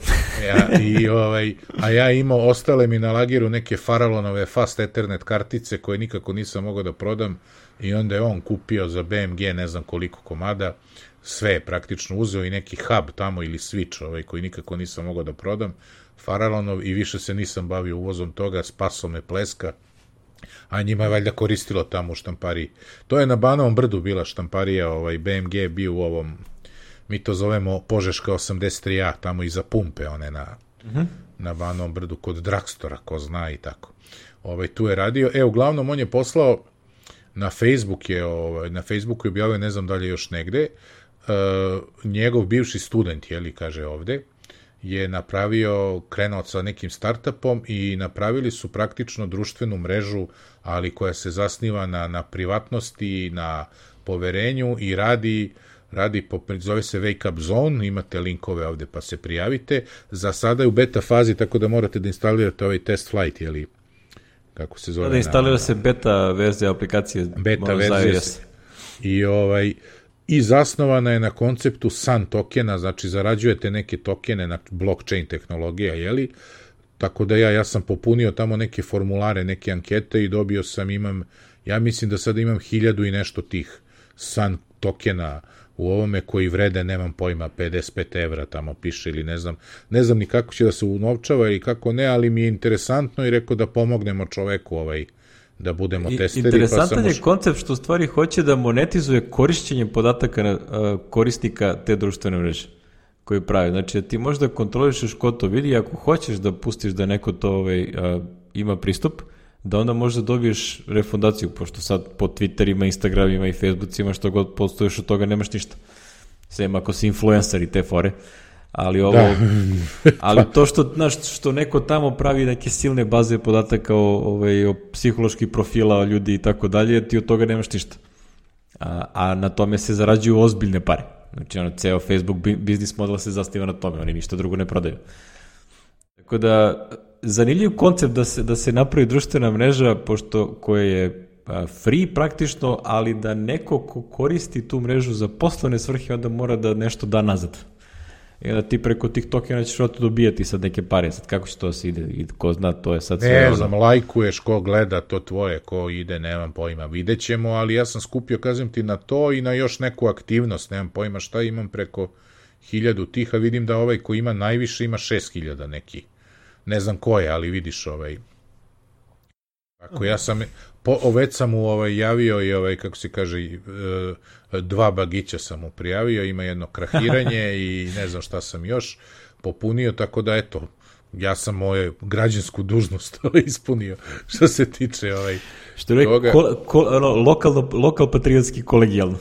ja, i, ovaj, a ja imao, ostale mi na lagiru neke Farallonove Fast Ethernet kartice koje nikako nisam mogao da prodam i onda je on kupio za B M G ne znam koliko komada, sve je praktično uzeo i neki hub tamo ili switch ovaj, koji nikako nisam mogao da prodam, Farallonov i više se nisam bavio uvozom toga, spaso me Pleska, a njima je valjda koristilo tamo u štampariji. To je na Banovom brdu bila štamparija, ovaj, B M G je bio u ovom, mi to zovemo Požeška osamdeset tri A, tamo iza pumpe, one na uh-huh. na Banom brdu kod Dragstora, ko zna i tako. Ovaj, tu je radio. E, uglavnom, on je poslao na Facebook je, ovaj, na Facebooku je objavio, ne znam da li je još negde, uh, njegov bivši student, jeli, kaže ovde, je napravio, krenuo sa nekim startupom i napravili su praktično društvenu mrežu, ali koja se zasniva na, na privatnosti, na poverenju i radi, radi po, zove se Wake Up Zone, imate linkove ovde pa se prijavite. Za sada je u beta fazi, tako da morate da instalirate ovaj test flight, jeli, kako se zove. Da instalira se beta verzija aplikacije. Beta verzija. I ovaj... I zasnovana je na konceptu Sun tokena, znači zarađujete neke tokene na blockchain tehnologija, jeli? Tako da ja, ja sam popunio tamo neke formulare, neke ankete i dobio sam, imam, ja mislim da sada imam hiljadu i nešto tih Sun tokena u ovome koji vrede, nemam pojma, pedeset pet evra tamo piše ili ne znam, ne znam ni kako će da se unovčava ili kako ne, ali mi je interesantno i rekao da pomognemo čoveku ovaj, da budemo testeri. Interesantan pa sam je koncept što u stvari hoće da monetizuje korišćenje podataka uh, korisnika te društvene mreže koji pravi. Znači, ti možda kontrolišeš ko to vidi, ako hoćeš da pustiš da neko to ovaj, uh, ima pristup, da onda možda dobiješ refundaciju, pošto sad po Twitterima, Instagramima i Facebookima što god postojiš od toga nemaš ništa. Sem ako si influencer i te fore. Ali ovo, ali to što, znaš, što neko tamo pravi neke silne baze podataka o, ovaj, o psiholoških profila ljudi i tako dalje, ti od toga nemaš ništa. A, a na tome se zarađuju ozbiljne pare. Znači, ono, ceo Facebook biznis model se zasniva na tome, oni ništa drugo ne prodaju. Tako da, zanimljiv koncept da se, da se napravi društvena mreža, pošto koja je free praktično, ali da neko ko koristi tu mrežu za poslovne svrhe, onda mora da nešto da nazad. I onda ti preko tih tokena ćeš oto dobijati sad neke pare, sad kako će to se ide i ko zna, to je sad sve. Ne znam, ono... lajkuješ, ko gleda to tvoje, ko ide, nemam pojma, vidjet ćemo, ali ja sam skupio, kažem ti, na to i na još neku aktivnost, nemam pojma šta imam preko hiljadu tih, a vidim da ovaj ko ima najviše ima šest hiljada neki. Ne znam ko je, ali vidiš ovaj... Ako ja sam, po, već sam mu ovaj, javio i ovaj, kako se kaže, dva bagića sam mu prijavio, ima jedno krahiranje i ne znam šta sam još popunio, tako da eto, ja sam moju građansku dužnost ispunio što se tiče ovaj, što je toga. Ko, ko, ono, lokal, lokal patriotski kolegijalno.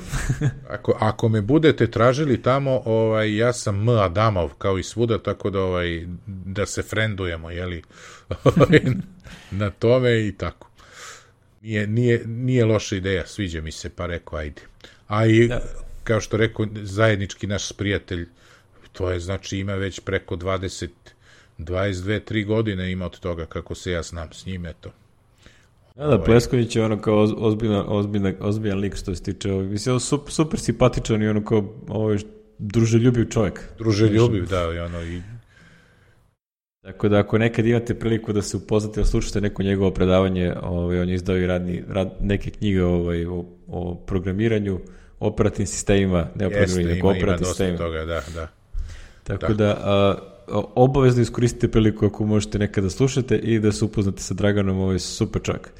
ako, ako me budete tražili tamo, ovaj, ja sam M. Adamov kao i svuda, tako da, ovaj, da se frendujemo, jeli, na tome i tako. Nije, nije, nije loša ideja, sviđa mi se, pa rekao, ajde. A i, da. Kao što rekao, zajednički naš prijatelj, to je, znači, ima već preko dvadeset, dvadeset dve, tri godine ima od toga, kako se ja znam s njim, eto. Da, da, Plesković je ono kao ozbiljan, ozbiljan, ozbiljan lik što se tiče, mislim, super, super simpatičan i ono kao ovaj, druželjubiv čovjek. Druželjubiv, da, i ono i... Tako da ako nekad imate priliku da se upoznate, da slušate neko njegovo predavanje, ovaj, on je izdao i radni, rad, neke knjige ovaj, o, o programiranju, operativnim sistemima, ne o programiranju, nego operativnim sistemima. Toga, da, da. Tako da, da a, obavezno iskoristite priliku ako možete nekada da slušate i da se upoznate sa Draganom, ovaj super čovjek.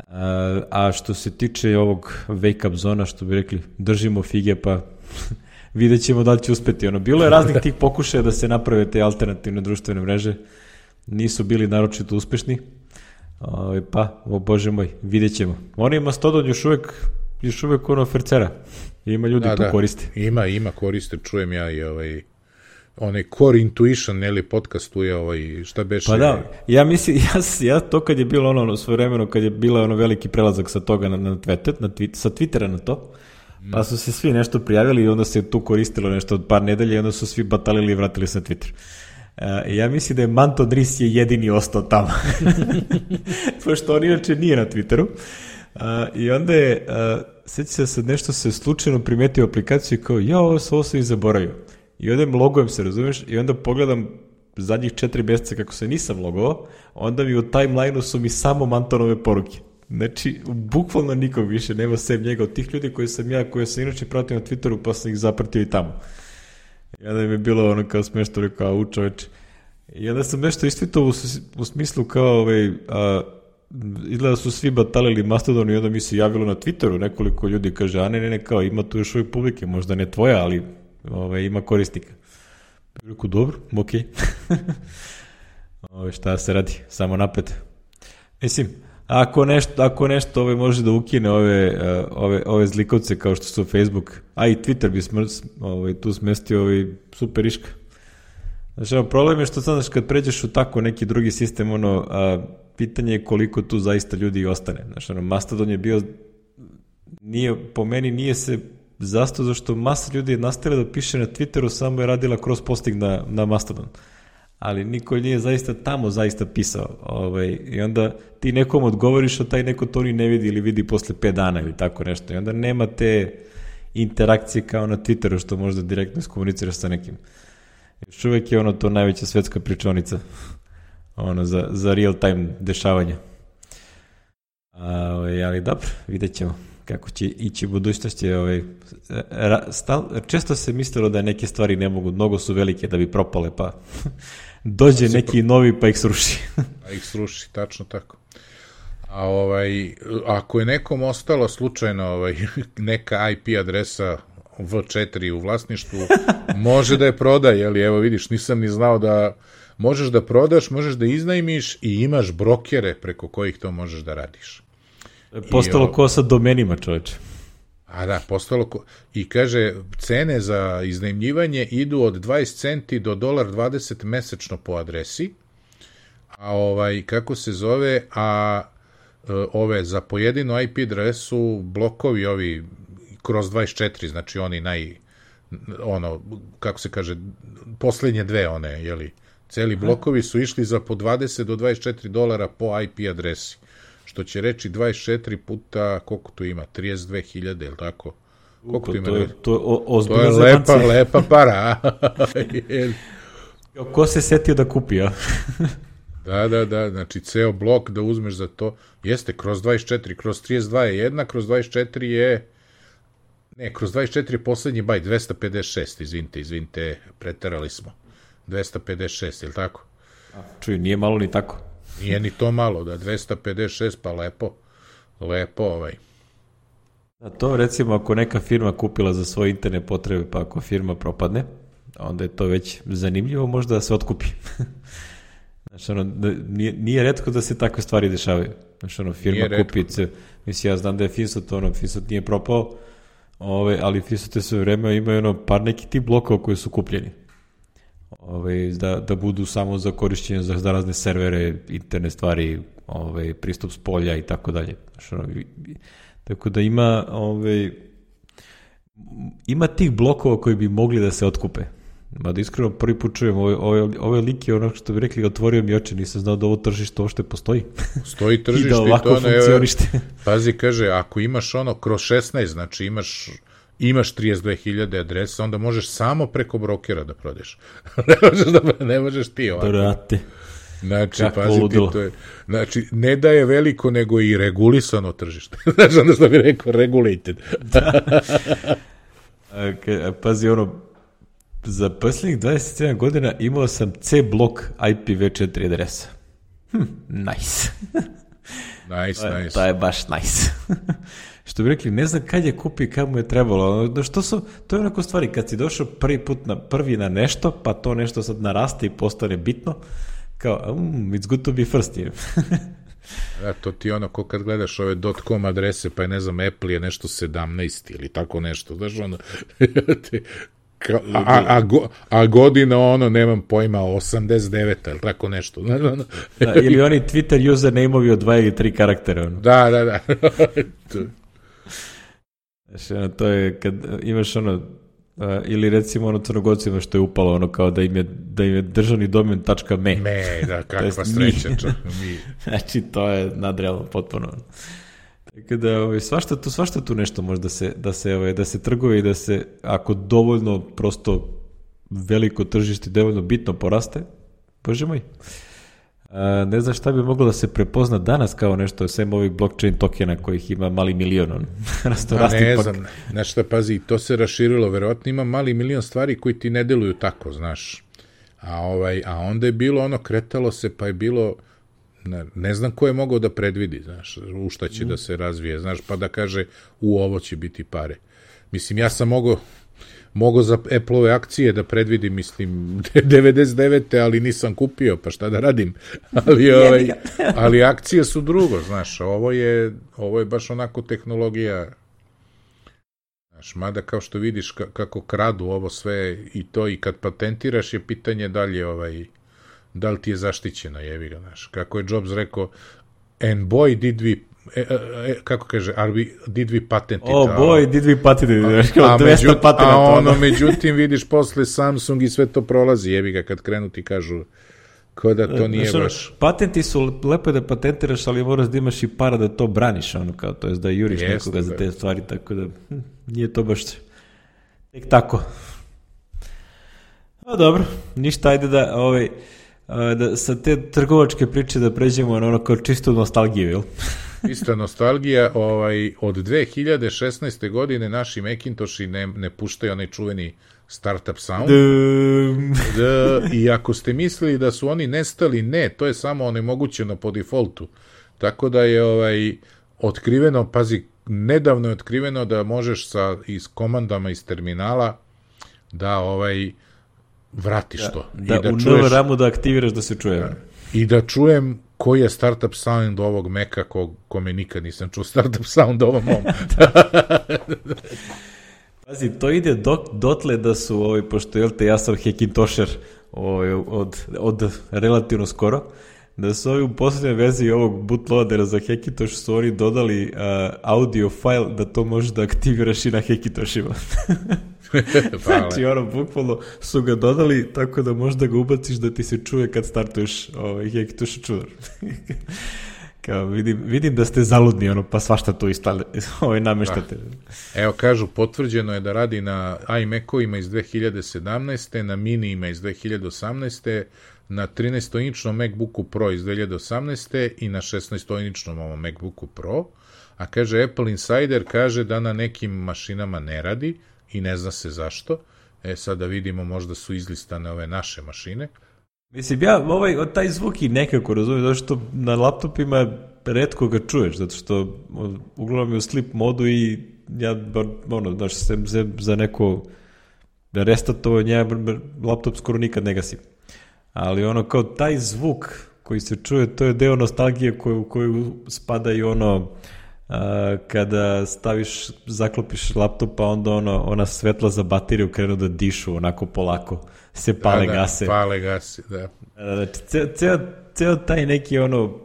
A, a što se tiče ovog wake up zona, što bi rekli, držimo fige, pa vidjet ćemo da li će uspeti. Ono, bilo je raznih tih pokušaja da se naprave te alternativne društvene mreže, nisu bili naročito uspešni, o, pa, o bože moj, vidjet ćemo. Oni Mastodon još uvek, još uvek ono fercera, ima ljudi da, tu da. koriste. Ima, ima koriste, čujem ja i ovaj... onaj Core Intuition, ili podcastuje ovaj, šta beše? Pa da, ja mislim, ja, ja to kad je bilo ono, ono svoje vremeno, kad je bilo ono veliki prelazak sa toga na, na Twitter, na tweet, sa Twittera na to, pa su se svi nešto prijavili i onda se tu koristilo nešto od par nedelja i onda su svi batalili i vratili se na Twitter. Uh, ja mislim da je Manto Dris je jedini ostao tamo. Pošto on inače nije na Twitteru. Uh, I onda je, uh, sveći se sad nešto se slučajno primetio aplikaciju i kao, ja ovo, ovo sam i zaboravio. I onda logujem se, razumiješ, i onda pogledam zadnjih četiri mjeseca kako se nisam logovao, onda mi u timeline-u su mi samo Mantonove poruke. Znači, bukvalno nikog više nema sem njega od tih ljudi koji sam ja, koje sam inače pratio na Twitteru, pa sam ih zapratio i tamo. I onda mi je bilo ono kao smešno, rekao, u čoveče. I onda sam nešto istvitao u, u smislu kao, ovaj, a, izgleda su svi batalili Mastodon i onda mi se javilo na Twitteru nekoliko ljudi, kaže, a ne, ne, ne, kao, ima tu još uvijek publike, možda ne tvoja, ali ovaj, ima korisnika. Rekao, dobro, okej. Okay. Šta se radi, samo napred. Mislim, ako nešto, ako nešto ove može da ukine ove, ove, ove zlikovce kao što su Facebook, a i Twitter bi smr, ove, tu smestio ovaj super iška. Znači, problem je što znaš, kad pređeš u tako neki drugi sistem, ono, a, pitanje je koliko tu zaista ljudi ostane. Znači, ono, Mastodon je bio, nije, po meni nije se zastao zašto masa ljudi je nastavila da piše na Twitteru, samo je radila cross posting na, na Mastodon. Ali niko nije zaista tamo zaista pisao. Ovaj, i onda ti nekom odgovoriš, a taj neko to ni ne vidi ili vidi posle pet dana ili tako nešto. I onda nema te interakcije kao na Twitteru što možda direktno iskomuniciraš sa nekim. Još uvek je ono to najveća svetska pričonica ono, za, za real time dešavanja. A, ovaj, ali dobro, vidjet ćemo kako će ići budućnosti. Ovaj, stal, često se mislilo da neke stvari ne mogu, mnogo su velike da bi propale, pa dođe neki pro... novi pa ih sruši. Pa ih sruši, tačno tako. A ovaj, ako je nekom ostalo slučajno ovaj, neka I P adresa V četiri u vlasništvu, može da je proda, jeli, evo vidiš, nisam ni znao da možeš da prodaš, možeš da iznajmiš i imaš brokere preko kojih to možeš da radiš. Postalo ko sa domenima, čoveče. A da, postalo ko... I kaže, cene za iznajmljivanje idu od dvadeset centi do dolar dvadeset mesečno po adresi, a ovaj, kako se zove, a ove, za pojedinu I P adresu blokovi ovi kroz dvadeset četiri, znači oni naj, ono, kako se kaže, poslednje dve one, jeli, celi blokovi su išli za po dvadeset do dvadeset četiri dolara po I P adresi. Što će reći dvadeset četiri puta, koliko tu ima, trideset dve hiljade, ili tako? Koliko tu ima? To je, to je, o, to je lepa, lepa para. Ko se setio da kupi, ja? Da, da, da, znači ceo blok da uzmeš za to, jeste, kroz dvadeset četiri, kroz trideset dva je jedna, kroz dvadeset četiri je, ne, kroz dvadeset četiri je poslednji bajt, dvesta pedeset šest, izvinite, izvinite, preterali smo, dvesta pedeset šest, je li tako? Čuj, nije malo ni tako. Nije ni to malo, da, dvesta pedeset šest, pa lepo, lepo ovaj. A to recimo ako neka firma kupila za svoje interne potrebe, pa ako firma propadne, onda je to već zanimljivo možda da se otkupi. Znači, ono, nije, nije retko da se takve stvari dešavaju. Znači, ono, firma kupi, mislim, ja znam da je Finsot, ono, Finsot nije propao, ove, ali Finsot je sve vreme imaju ono, par neki tip blokova koji su kupljeni. Ove, da, da budu samo za korišćenje za razne servere, interne stvari, ove, pristup s polja i tako dalje. Znači, ono, tako da ima, ove, ima tih blokova koji bi mogli da se otkupe. Mada iskreno prvi put čujem ove, ove, ove like, ono što bi rekli, otvorio mi oči, nisam znao da ovo tržište uopšte postoji. Stoji tržište i, da ovako i to funkcionište. Ne, pazi, kaže, ako imaš ono kroz šesnaest, znači imaš imaš trideset dve hiljade adresa, onda možeš samo preko brokera da prodeš. ne, možeš da, ne možeš ti ovako. Brate. Znači, kako pazi ludilo. Ti, to je, znači, ne da je veliko, nego i regulisano tržište. Znači, onda što bi rekao, regulated. okay, pazi, ono, za posljednjih dvadeset sedam godina imao sam C blok I P v četiri adresa. Hm, nice. Nice, to je, nice. To je baš nice. Što bi rekli, ne znam kad je kupi, kad mu je trebalo. Da što su, to je onako stvari, kad si došao prvi put na, prvi na nešto, pa to nešto sad naraste i postane bitno, kao, um, it's good to be first. Da, to ti ono, ko kad gledaš ove .com adrese, pa je, ne znam, Apple je nešto sedamnaest ili tako nešto, znaš, ono, Ka, a, a, a, a godina ono, nemam pojma, osamdeset deveta ili tako nešto. Da, ili oni Twitter username-ovi od dva ili tri karaktera. Ono. Da, da, da. Znači, ono, to je kad imaš ono, uh, ili recimo ono Crnogorcima što je upalo ono kao da im je, da im je državni domen .me. Me, da, kakva sreća. Mi. Znači, to je nadrealno potpuno. Tako da ovaj, svašta, tu, svašta tu nešto može da se, da se, ovaj, da se trguje i da se, ako dovoljno prosto veliko tržište, dovoljno bitno poraste, bože moj. A, ne znam šta bi moglo da se prepozna danas kao nešto, sem ovih blockchain tokena kojih ima mali milion. On. Rasto, pa ne znam, znaš šta, pazi, to se raširilo, verovatno ima mali milion stvari koji ti ne deluju tako, znaš. A, ovaj, a onda je bilo ono, kretalo se, pa je bilo... Ne, ne znam ko je mogao da predvidi, znaš, u šta će mm. da se razvije, znaš, pa da kaže, u ovo će biti pare. Mislim, ja sam mogao, mogo za Apple-ove akcije da predvidim, mislim, devedeset devete ali nisam kupio, pa šta da radim. Ali, ovaj, ali akcije su drugo, znaš, ovo je, ovo je baš onako tehnologija, znaš, mada kao što vidiš kako kradu ovo sve i to, i kad patentiraš je pitanje da li je, ovaj, da li ti je zaštićeno, jevi ga, znaš. Kako je Jobs rekao, and boy did we, e, e, kako kaže, are we, did we patent it? Oh boy, did we patent it? A, a, međut, a ono, međutim, vidiš, posle Samsung i sve to prolazi, jevi ga, kad krenu ti kažu ko da to nije znači, baš... Patenti su, lepo je da patentiraš, ali moraš da imaš i para da to braniš, ono, kao, to je da juriš Jeste, nekoga za te stvari, tako da hm, nije to baš tek tako. No dobro, ništa, ajde da, ovaj, da sa te trgovačke priče da pređemo na ono kao čisto nostalgiju, jel? Ista nostalgija, ovaj, od dve hiljade šesnaeste. godine naši Macintoshi ne, ne puštaju onaj čuveni startup sound. Da, i ako ste mislili da su oni nestali, ne, to je samo onemogućeno po defaultu. Tako da je ovaj otkriveno, pazi, nedavno je otkriveno da možeš sa iz komandama iz terminala da ovaj vratiš da, to. Da, I da u čuješ, novu ramu da aktiviraš da se čuje. Da, i da čujem koji je startup sound ovog Maca ko, kome nikad nisam čuo startup sound ovom mom. Pazi, to ide dok, dotle da su, ovaj, pošto jel te, ja sam Hackintosher ovaj, od, od relativno skoro, da su ovi u posljednjoj verziji ovog bootloadera za Hackintosh su oni dodali uh, audio file da to možeš da aktiviraš i na Hackintoshima. Znači, ono, bukvalno su ga dodali tako da možeš da ga ubaciš da ti se čuje kad startuješ ovaj, Hackintosh čudar. Kao, vidim, vidim da ste zaludni, ono, pa svašta to istale, ovaj, nameštate. Da. Evo, kažu, potvrđeno je da radi na iMac-ovima iz dve hiljade sedamnaeste. na Minijima iz dve hiljade osamnaeste. na trinaestoinčnom MacBooku Pro iz dve hiljade osamnaeste. i na šesnaestoinčnom ovom MacBooku Pro. A kaže, Apple Insider kaže da na nekim mašinama ne radi i ne zna se zašto. E, sad da vidimo, možda su izlistane ove naše mašine. Mislim, ja ovaj, taj zvuk i nekako razumijem, zato što na laptopima retko ga čuješ, zato što uglavnom je u sleep modu i ja, ono, znaš, se, se za neko restartovanje, ja laptop skoro nikad ne gasim. Ali ono, kao taj zvuk koji se čuje, to je deo nostalgije koju, koju spada i ono, a, kada staviš, zaklopiš laptop, pa onda ono, ona svetla za bateriju krenu da dišu onako polako. Se pale da, gase. Da, pale gase, da. Znači, ceo, ceo, ceo taj neki ono,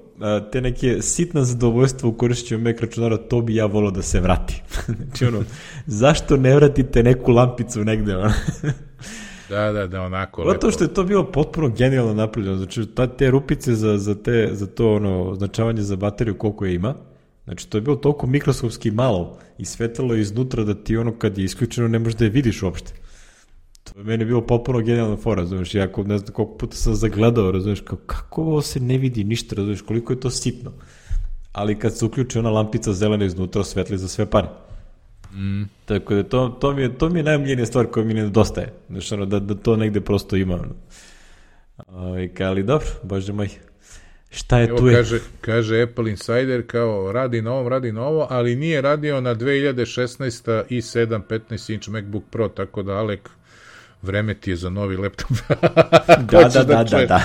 te neke sitna zadovoljstva u korišćenju Mac računara, to bi ja volao da se vrati. Znači ono, zašto ne vratite neku lampicu negde, ono? Da, da, da, onako lepo. Zato što je to bilo potpuno genijalno napravljeno, znači ta, te rupice za, za, te, za to ono, označavanje za bateriju koliko je ima, znači to je bilo toliko mikroskopski malo i svetalo iznutra da ti ono kad je isključeno ne možeš da je vidiš uopšte. To je meni bilo potpuno genijalna fora, razumiješ, ja ne znam koliko puta sam zagledao, razumiješ, kao, kako ovo se ne vidi ništa, razumiješ, koliko je to sitno. Ali kad se uključi ona lampica zelena iznutra, svetli za sve pare. Mm. Tako da to, to, mi je, to mi je najomljenija stvar koja mi ne nedostaje, znači ono, da, da to negde prosto ima. Ono. Ali dobro, bože moj, šta je Evo, tu je? Kaže, kaže Apple Insider kao radi na ovom, radi na ovo, ali nije radio na dve hiljade šesnaeste. i sedam petnaest inch MacBook Pro, tako da Alek, vreme ti je za novi laptop. da, da, da, da, da.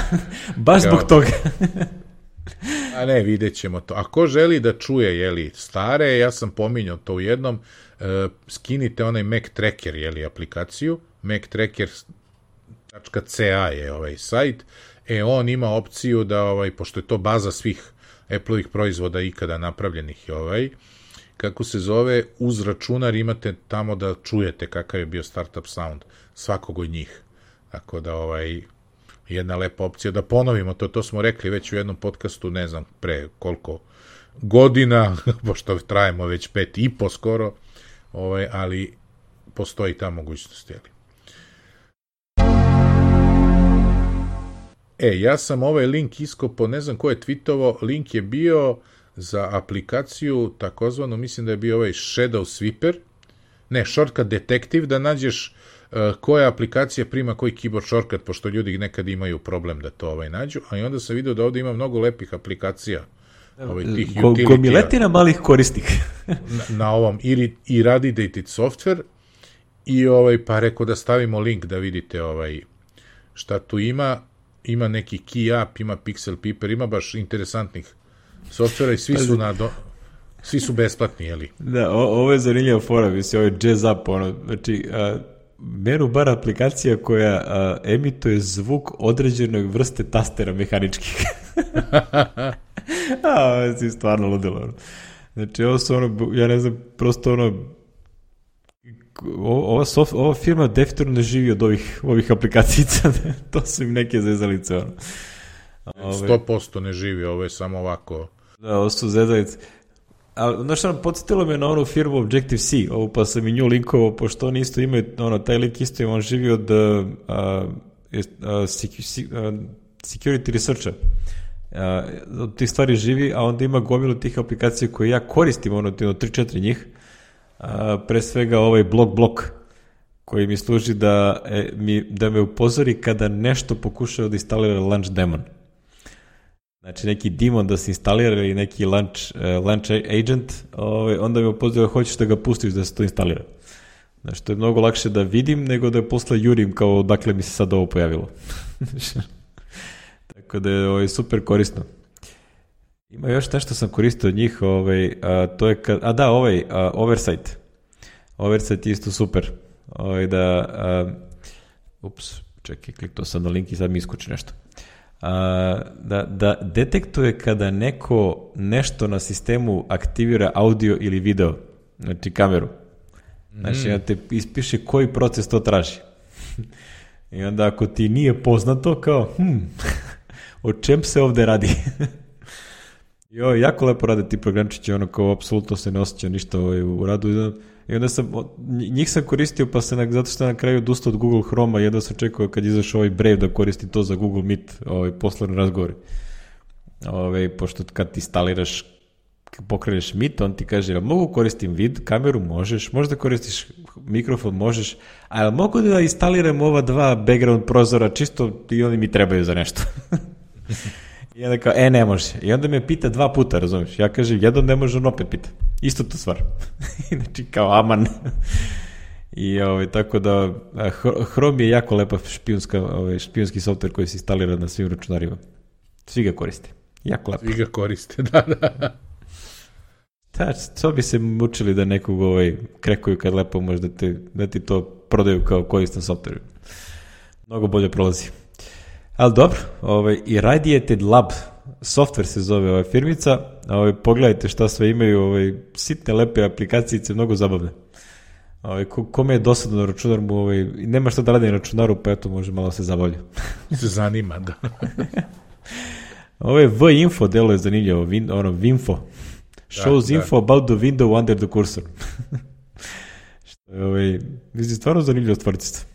Baš kao, zbog toga. a ne, vidjet ćemo to. Ako želi da čuje, jeli, stare, ja sam pominjao to u jednom, uh, skinite onaj Mac Tracker, jeli, aplikaciju, mac tracker tačka c a je ovaj sajt, e, on ima opciju da, ovaj, pošto je to baza svih Apple-ovih proizvoda ikada napravljenih, ovaj, kako se zove, uz računar imate tamo da čujete kakav je bio startup sound svakog od njih. Tako da, ovaj, jedna lepa opcija. Da ponovimo to, to smo rekli već u jednom podcastu, ne znam pre koliko godina, pošto trajemo već pet i po skoro, ovaj, ali postoji ta mogućnost, jeli. E, ja sam ovaj link iskopao, ne znam ko je tweetovo, link je bio za aplikaciju, takozvano, mislim da je bio ovaj Shadow Sweeper, ne, Shortcut Detective, da nađeš uh, koja aplikacija prima koji keyboard shortcut, pošto ljudi nekad imaju problem da to ovaj nađu, a i onda sam vidio da ovdje ima mnogo lepih aplikacija, ovaj, tih Ko, utility-a. Gomiletina malih korisnika. na, na ovom i, i Radiated Software, i ovaj, pa rekao da stavimo link da vidite ovaj, šta tu ima. Ima neki Key App, ima Pixel Piper, ima baš interesantnih softvera i svi su na do... svi su besplatni, jeli? Da, o, ovo je zanimljiva fora, mislim, ovo je jazz up, ono, znači, a, menu bar aplikacija koja a, emituje zvuk određenoj vrste tastera mehaničkih. A, ovo je stvarno ludilo, ono. Znači, ovo su ono, ja ne znam, prosto ono, ova, soft, ova firma definitivno ne živi od ovih, ovih aplikacijica, to su im neke zezalice, ono. sto posto ne živi, ovo je samo ovako. Da, ovo su zezalice. Ali, znaš što nam podsjetilo me na onu firmu Objective-C, ovu pa sam i nju linkovao, pošto oni isto imaju, ono, taj lik isto im, on živi od uh, uh, security researcha. Uh, od tih stvari živi, a onda ima gomilu tih aplikacija koje ja koristim, ono, tri četiri njih. Uh, pre svega ovaj blok blok, koji mi služi da, e, mi, da me upozori kada nešto pokušava da instalira launch daemon. Znači neki daemon da se instalira ili neki launch, uh, launch agent, ovaj, onda mi upozori da hoćeš da ga pustiš da se to instalira. Znači to je mnogo lakše da vidim nego da posle jurim kao dakle mi se sad ovo pojavilo. Tako da je ovaj, super korisno. Ima još nešto sam koristio od njih, ovaj, a, to je kad, a da, ovaj, a, Oversight. Oversight je isto super. Ovaj, da, a, ups, čekaj, kliknuo sam na link i sad mi iskoči nešto. A, da, da detektuje kada neko nešto na sistemu aktivira audio ili video, znači kameru. Znači, mm. te ispiše koji proces to traži. I onda ako ti nije poznato, kao, hm, o čem se ovde radi? Jo, jako lepo rade ti programčići, ono kao apsolutno se ne osjeća ništa ovaj, u radu. I onda sam, njih sam koristio, pa se na, zato što na kraju odustao od Google Chroma, jedno sam čekao kad izašao ovaj Brave da koristim to za Google Meet, ovaj, poslovni razgovori. Ovaj, pošto kad ti instaliraš, pokreneš Meet, on ti kaže, mogu koristim vid, kameru možeš, možda koristiš mikrofon možeš, ali mogu da instaliram ova dva background prozora, čisto i oni mi trebaju za nešto. I onda kao, e, ne može. I onda me pita dva puta, razumiješ? Ja kažem, jedan ne može, on opet pita. Isto to stvar. Znači, kao, aman. I ovaj, tako da, Chrome je jako lepa špijunska, ovaj, špijunski software koji se instalira na svim računarima. Svi ga koriste. Jako lepo. Svi ga koriste, da, da. Da, to bi se mučili da nekog ovaj, krekuju kad lepo može da, te, da ti to prodaju kao koristan software. Mnogo bolje prolazi. Ali dobro, ovaj, Irradiated Lab software se zove ova firmica, ovaj, pogledajte šta sve imaju, ovaj, sitne lepe aplikacijice, mnogo zabavne. Ovaj, ko, kome je dosadno na računar mu, ovaj, nema šta da radi na računaru, pa eto može malo se zabavlja. Se zanima, da. Ovo je V-info, delo je zanimljivo, vin, ono, Vinfo. Shows da, info da. About the window under the cursor. Što je, ovaj, mislim, stvarno zanimljivo stvarčica.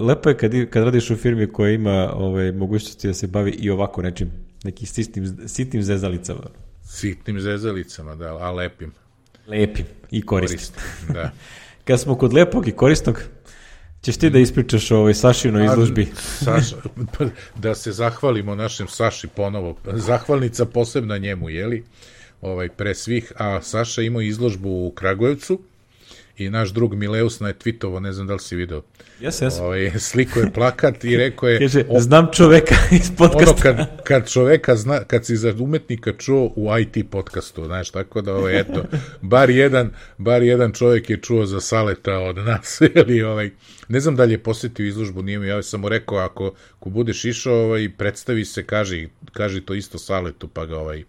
Lepo je kad, kad radiš u firmi koja ima ovaj, mogućnosti da se bavi i ovako nečim, nekim sitnim, sitnim zezalicama. Sitnim zezalicama, da, a lepim. Lepim i koristim. Koristim, da. Kad smo kod lepog i korisnog, ćeš ti da ispričaš o ovoj Sašinoj izložbi. Saša, da se zahvalimo našem Saši ponovo. Zahvalnica posebna njemu, jeli? Ovaj, pre svih. A Saša imao izložbu u Kragujevcu i naš drug Mileus na je tweetovo, ne znam da li si video. Jes, jes. Ovaj, sliko je plakat i rekao je... Kaže, znam čoveka iz podcasta. Ono, kad, kad čoveka zna, kad si za umetnika čuo u I T podcastu, znaš, tako da, ovaj, eto, bar jedan, bar jedan čovjek je čuo za Saleta od nas, ili, ovaj, ne znam da li je posjetio izložbu, nije mi, ja sam mu rekao, ako, ako budeš išao, ovaj, predstavi se, kaži, kaži to isto Saletu, pa ga, ovaj,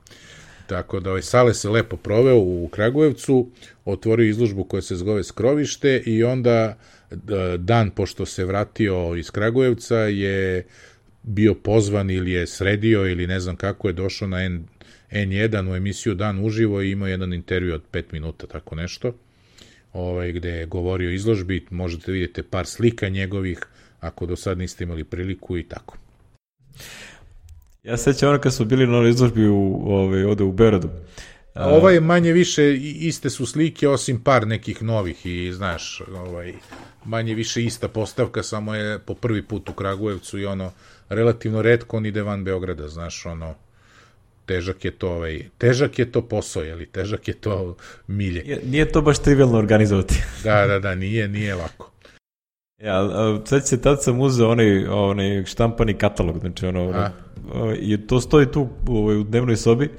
tako da ovaj Sale se lepo proveo u Kragujevcu, otvorio izložbu koja se zove Skrovište i onda dan pošto se vratio iz Kragujevca je bio pozvan ili je sredio ili ne znam kako je došao na N, N jedan u emisiju Dan uživo i imao jedan intervju od pet minuta, tako nešto, ovaj, gde je govorio o izložbi, možete vidjeti par slika njegovih ako do sad niste imali priliku i tako. Ja sećam ono kad smo bili na ovoj izložbi u, ovaj, ovde u Beogradu. A ova je manje više, iste su slike, osim par nekih novih i, znaš, ovaj, manje više ista postavka, samo je po prvi put u Kragujevcu i ono, relativno retko on ide van Beograda, znaš, ono, težak je to, ovaj, težak je to posao, jeli, težak je to milje. Nije, nije to baš trivialno organizovati. Da, da, da, nije, nije lako. Ja, sad se tad sam uzeo onaj, onaj štampani katalog, znači ono, ono i to stoji tu u, u dnevnoj sobi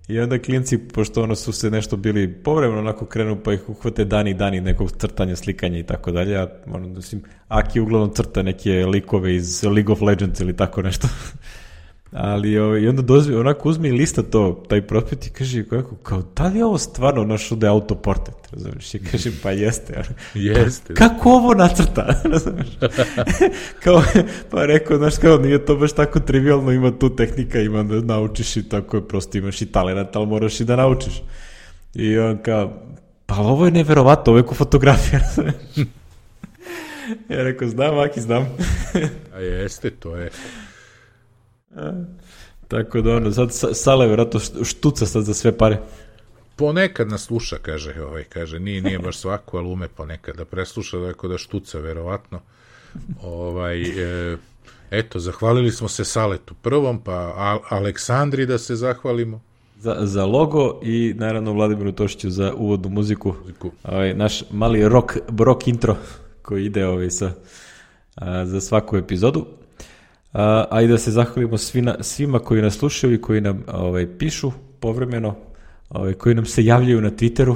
i onda klinci, pošto ono su se nešto bili povremeno onako krenu pa ih uhvate dani dani nekog crtanja, slikanja i tako dalje, a ono, mislim, Aki uglavnom crta neke likove iz League of Legends ili tako nešto. Ali o, i onda dozvi, onako uzmi lista to, taj prospekt i kaže kako, kao, da li je ovo stvarno našo da je autoportret, razumiješ, i kaže, pa jeste. Jeste. Pa, kako ovo nacrta, razumiješ? Kao, pa rekao, znaš, kao, nije to baš tako trivialno, ima tu tehnika, ima da naučiš i tako je, prosto imaš i talent, ali moraš i da naučiš. I on kao, pa ovo je neverovatno, ovo je ko fotografija, razumiješ? Ja rekao, znam, Aki, znam. A jeste, to je... A, tako da ono, sad Sale vjerojatno štuca sad za sve pare. Ponekad nas sluša, kaže, ovaj, kaže, nije, nije baš svako, ali ume ponekad da presluša, da da štuca, verovatno. Ovaj, e, eto, zahvalili smo se Saletu prvom, pa A- Aleksandri da se zahvalimo. Za, za logo i naravno Vladimiru Tošiću za uvodnu muziku. muziku. Ovaj, naš mali rock, rock intro koji ide ovaj, sa, a, za svaku epizodu. A, a i da se zahvalimo svima, svima koji nas slušaju i koji nam ovaj, pišu povremeno, ovaj, koji nam se javljaju na Twitteru.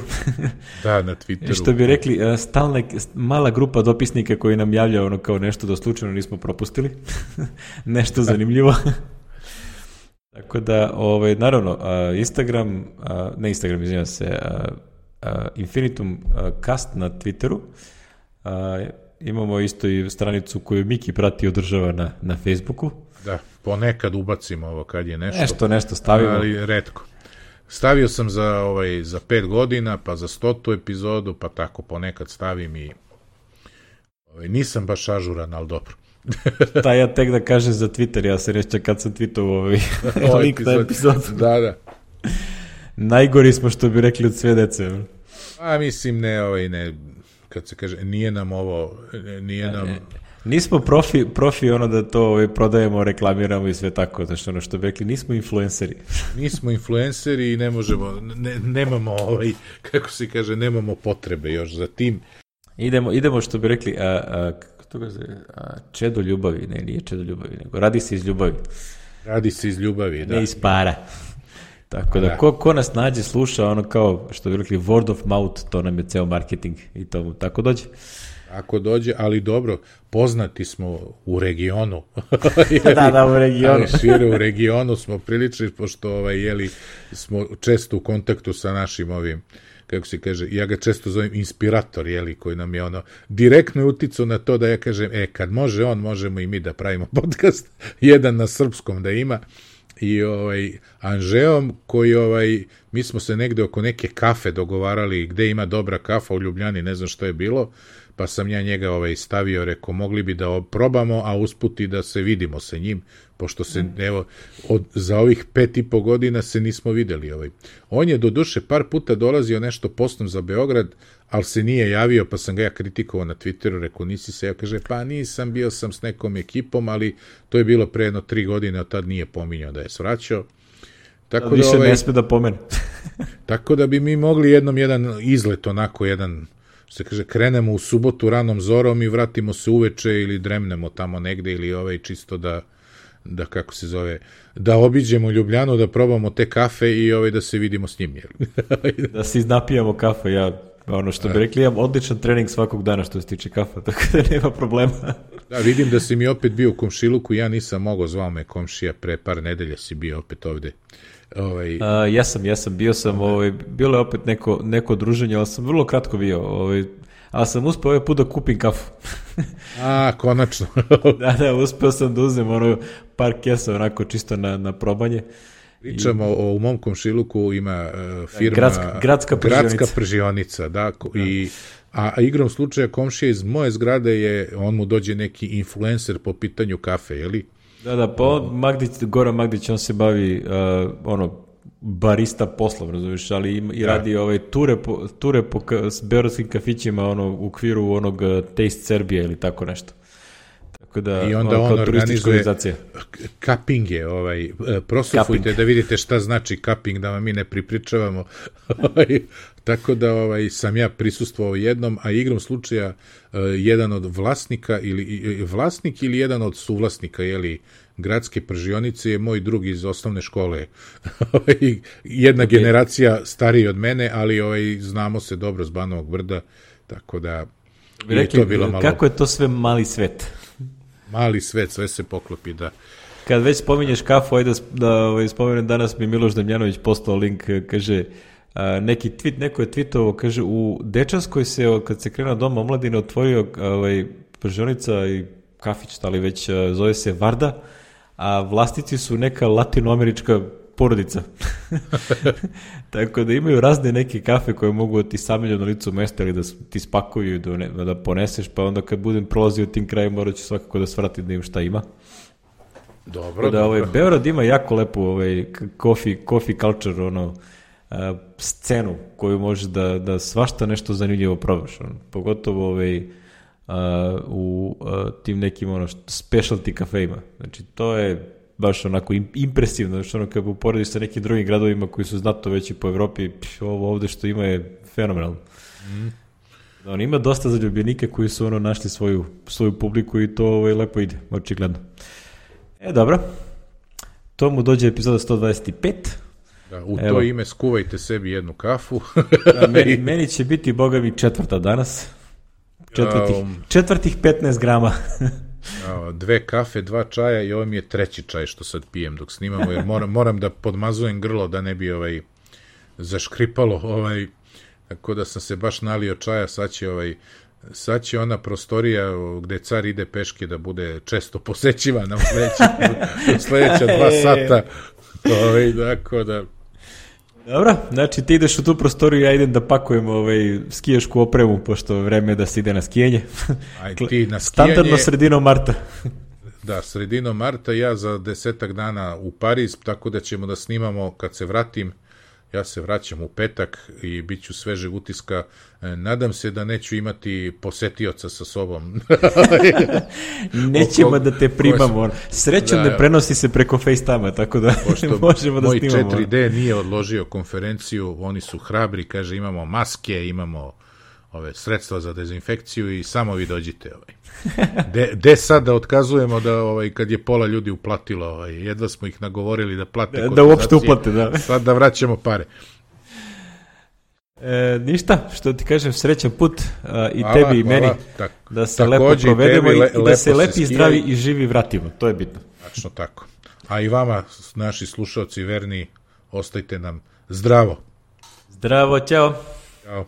Da, na Twitteru. Što bi rekli, stalna, mala grupa dopisnika koji nam javlja ono kao nešto da slučajno nismo propustili. Nešto zanimljivo. Tako da, ovaj, naravno, Instagram, ne Instagram, izvinjam se, Infinitum Cast na Twitteru. Imamo isto i stranicu koju Miki prati i održava na, na Facebooku. Da, ponekad ubacimo ovo kad je nešto. Nešto, nešto stavimo. Ali retko. Stavio sam za, ovaj, za pet godina, pa za stotu epizodu, pa tako ponekad stavim i ovaj, nisam baš ažuran, ali dobro. Ta ja tek da kažem za Twitter, ja se reći kad sam tweetovao ovaj link na epizodu. Da, da. Najgori smo, što bi rekli, od sve dece. A mislim, ne, ovaj, ne, kad se kaže, nije nam ovo, nije nam... Ne, nismo profi, profi ono da to ovaj, prodajemo, reklamiramo i sve tako, znači ono što bi rekli, nismo influenceri. Nismo influenceri i ne možemo, ne, nemamo ovaj, kako se kaže, nemamo potrebe još za tim. Idemo, idemo što bi rekli, a, a, kako to se, a, čedo ljubavi, ne, nije čedo ljubavi, nego radi se iz ljubavi. Radi se iz ljubavi, da. Ne iz para. Tako da, da. Ko, ko nas nađe, sluša, ono kao, što bi rekli, word of mouth, to nam je ceo marketing i to tako dođe. Ako dođe, ali dobro, poznati smo u regionu. Da, da, u regionu. Šire u regionu smo prilični, pošto ovaj, jeli, smo često u kontaktu sa našim ovim, kako se kaže, ja ga često zovem inspirator, jeli, koji nam je ono, direktno je uticao na to da ja kažem, e, kad može on, možemo i mi da pravimo podcast, jedan na srpskom da ima, i ovaj, Anžeom, koji, ovaj, mi smo se negde oko neke kafe dogovarali, gde ima dobra kafa u Ljubljani, ne znam što je bilo, pa sam ja njega ovaj, stavio, rekao, mogli bi da probamo, a usput i da se vidimo sa njim, pošto se, mm. evo, od, za ovih pet i po godina se nismo videli. Ovaj. On je do duše par puta dolazio nešto postom za Beograd, ali se nije javio, pa sam ga ja kritikovao na Twitteru, rekao, nisi se, ja kaže, pa nisam, bio sam s nekom ekipom, ali to je bilo pre jedno tri godine, od tad nije pominjao da je svraćao. Tako da, više da, ovaj, ne sme da pomene. Tako da bi mi mogli jednom jedan izlet, onako jedan, što se kaže, krenemo u subotu ranom zorom i vratimo se uveče ili dremnemo tamo negde ili ovaj čisto da, da kako se zove, da obiđemo Ljubljanu, da probamo te kafe i ovaj da se vidimo s njim. Da se iznapijamo kafe, ja ono što bi rekli, imam odličan trening svakog dana što se tiče kafa, tako da nema problema. Da, vidim da si mi opet bio u komšiluku, ja nisam mogao, zvao me komšija, pre par nedelja si bio opet ovde. Ovaj... A, ja sam, ja sam, bio sam, ovaj, bilo je opet neko, neko druženje, ali sam vrlo kratko bio, ovaj, ali sam uspeo ovaj put da kupim kafu. A, konačno. Da, da, uspeo sam da uzem ono par kesa onako čisto na, na probanje. Pričamo I... o, u mom komšiluku ima uh, firma Gradska, gradska pržionica. Gradska pržionica, da, i, a, a igrom slučaja komšija iz moje zgrade je, on mu dođe neki influencer po pitanju kafe, je li? Da, da, pa on, Magdić, Goran Magdić, on se bavi uh, ono, barista poslom, razumiješ, ali i, i radi da. ovaj, ture po, ture po ka, s beogradskim kafićima ono, u okviru onog uh, Taste Serbia ili tako nešto. Tako Tako da, i onda on organizuje organizacija. kapinge, ovaj, prosufujte Cupping. Da vidite šta znači kaping, da vam mi ne pripričavamo. Tako da ovaj, sam ja prisustvovao jednom, a igrom slučaja jedan od vlasnika ili vlasnik ili jedan od suvlasnika, jeli, gradske pržionice je moj drug iz osnovne škole. Jedna okay. generacija stariji od mene, ali ovaj, znamo se dobro s Banovog Brda, tako da je rekli, to bilo malo... Kako je to sve mali svet? Mali svet, sve se poklopi, da. Kad već spominješ kafu, ajde da, da ovaj, spomenem, danas mi Miloš Damjanović postao link, kaže, a, neki tweet, neko je tweetovao, kaže, u Dečanskoj se, kad se krenuo Dom omladine, otvorio ovaj, pržionica i kafić, ali već a, zove se Varda, a vlasnici su neka latinoamerička porodica. Tako da imaju razne neke kafe koje mogu da ti samelju na licu mesta ili da ti spakuju i da, da poneseš, pa onda kad budem prolazio tim krajem morat ću svakako da svratim da im šta ima. Dobro, da, ovaj, Beograd ima jako lepu ovaj, coffee, coffee culture, ono, a, scenu koju možeš da, da svašta nešto zanimljivo probaš. Ono. Pogotovo ovaj, a, u a, tim nekim ono, specialty kafejima. Znači, to je baš onako impresivno, znači ono kad uporediš sa nekim drugim gradovima koji su znatno veći po Evropi, pš, ovo ovde što ima je fenomenalno. Mm. On ima dosta zaljubljenike koji su ono našli svoju, svoju publiku i to ovaj, lepo ide, očigledno. E, dobro. To mu dođe epizoda sto dvadeset pet. Da, u Evo. To ime skuvajte sebi jednu kafu. Da, meni, meni će biti, boga mi, četvrta danas. Četvrtih, um, četvrtih petnaest grama. Dve kafe, dva čaja i ovo mi je treći čaj što sad pijem dok snimamo, jer moram, moram da podmazujem grlo da ne bi ovaj zaškripalo, ovaj, tako da sam se baš nalio čaja, sad će, ovaj, sad će ona prostorija gde car ide peške da bude često posećivana u sledeća, u sledeća dva sata, ovaj, tako da... Dobro, znači ti ideš u tu prostoriju, ja idem da pakujem ovaj, skijašku opremu, pošto vreme je da se ide na skijanje. Aj, ti na skijanje... Standardno sredinom marta. Da, sredinom marta, ja za desetak dana u Pariz, tako da ćemo da snimamo kad se vratim. Ja se vraćam u petak i bit ću svežeg utiska. Nadam se da neću imati posetioca sa sobom. Nećemo da te primamo. Srećom da, ne prenosi se preko FaceTime-a, tako da možemo da snimamo. Moj četiri D nije odložio konferenciju, oni su hrabri, kaže imamo maske, imamo ove sredstva za dezinfekciju i samo vi dođite. Ovaj. De, de sad da otkazujemo da ovaj, kad je pola ljudi uplatilo, ovaj, jedva smo ih nagovorili da plate da, da uopšte uplate, da. Sad da vraćamo pare. E, ništa, što ti kažem, srećan put a, i hvala, tebi i hvala. Meni tak, da se lepo provedemo i, le, i da se lepi, zdravi i živi vratimo, to je bitno. Tačno tako. A i vama, naši slušalci verni, ostajte nam zdravo. Zdravo, ćao. Ćao.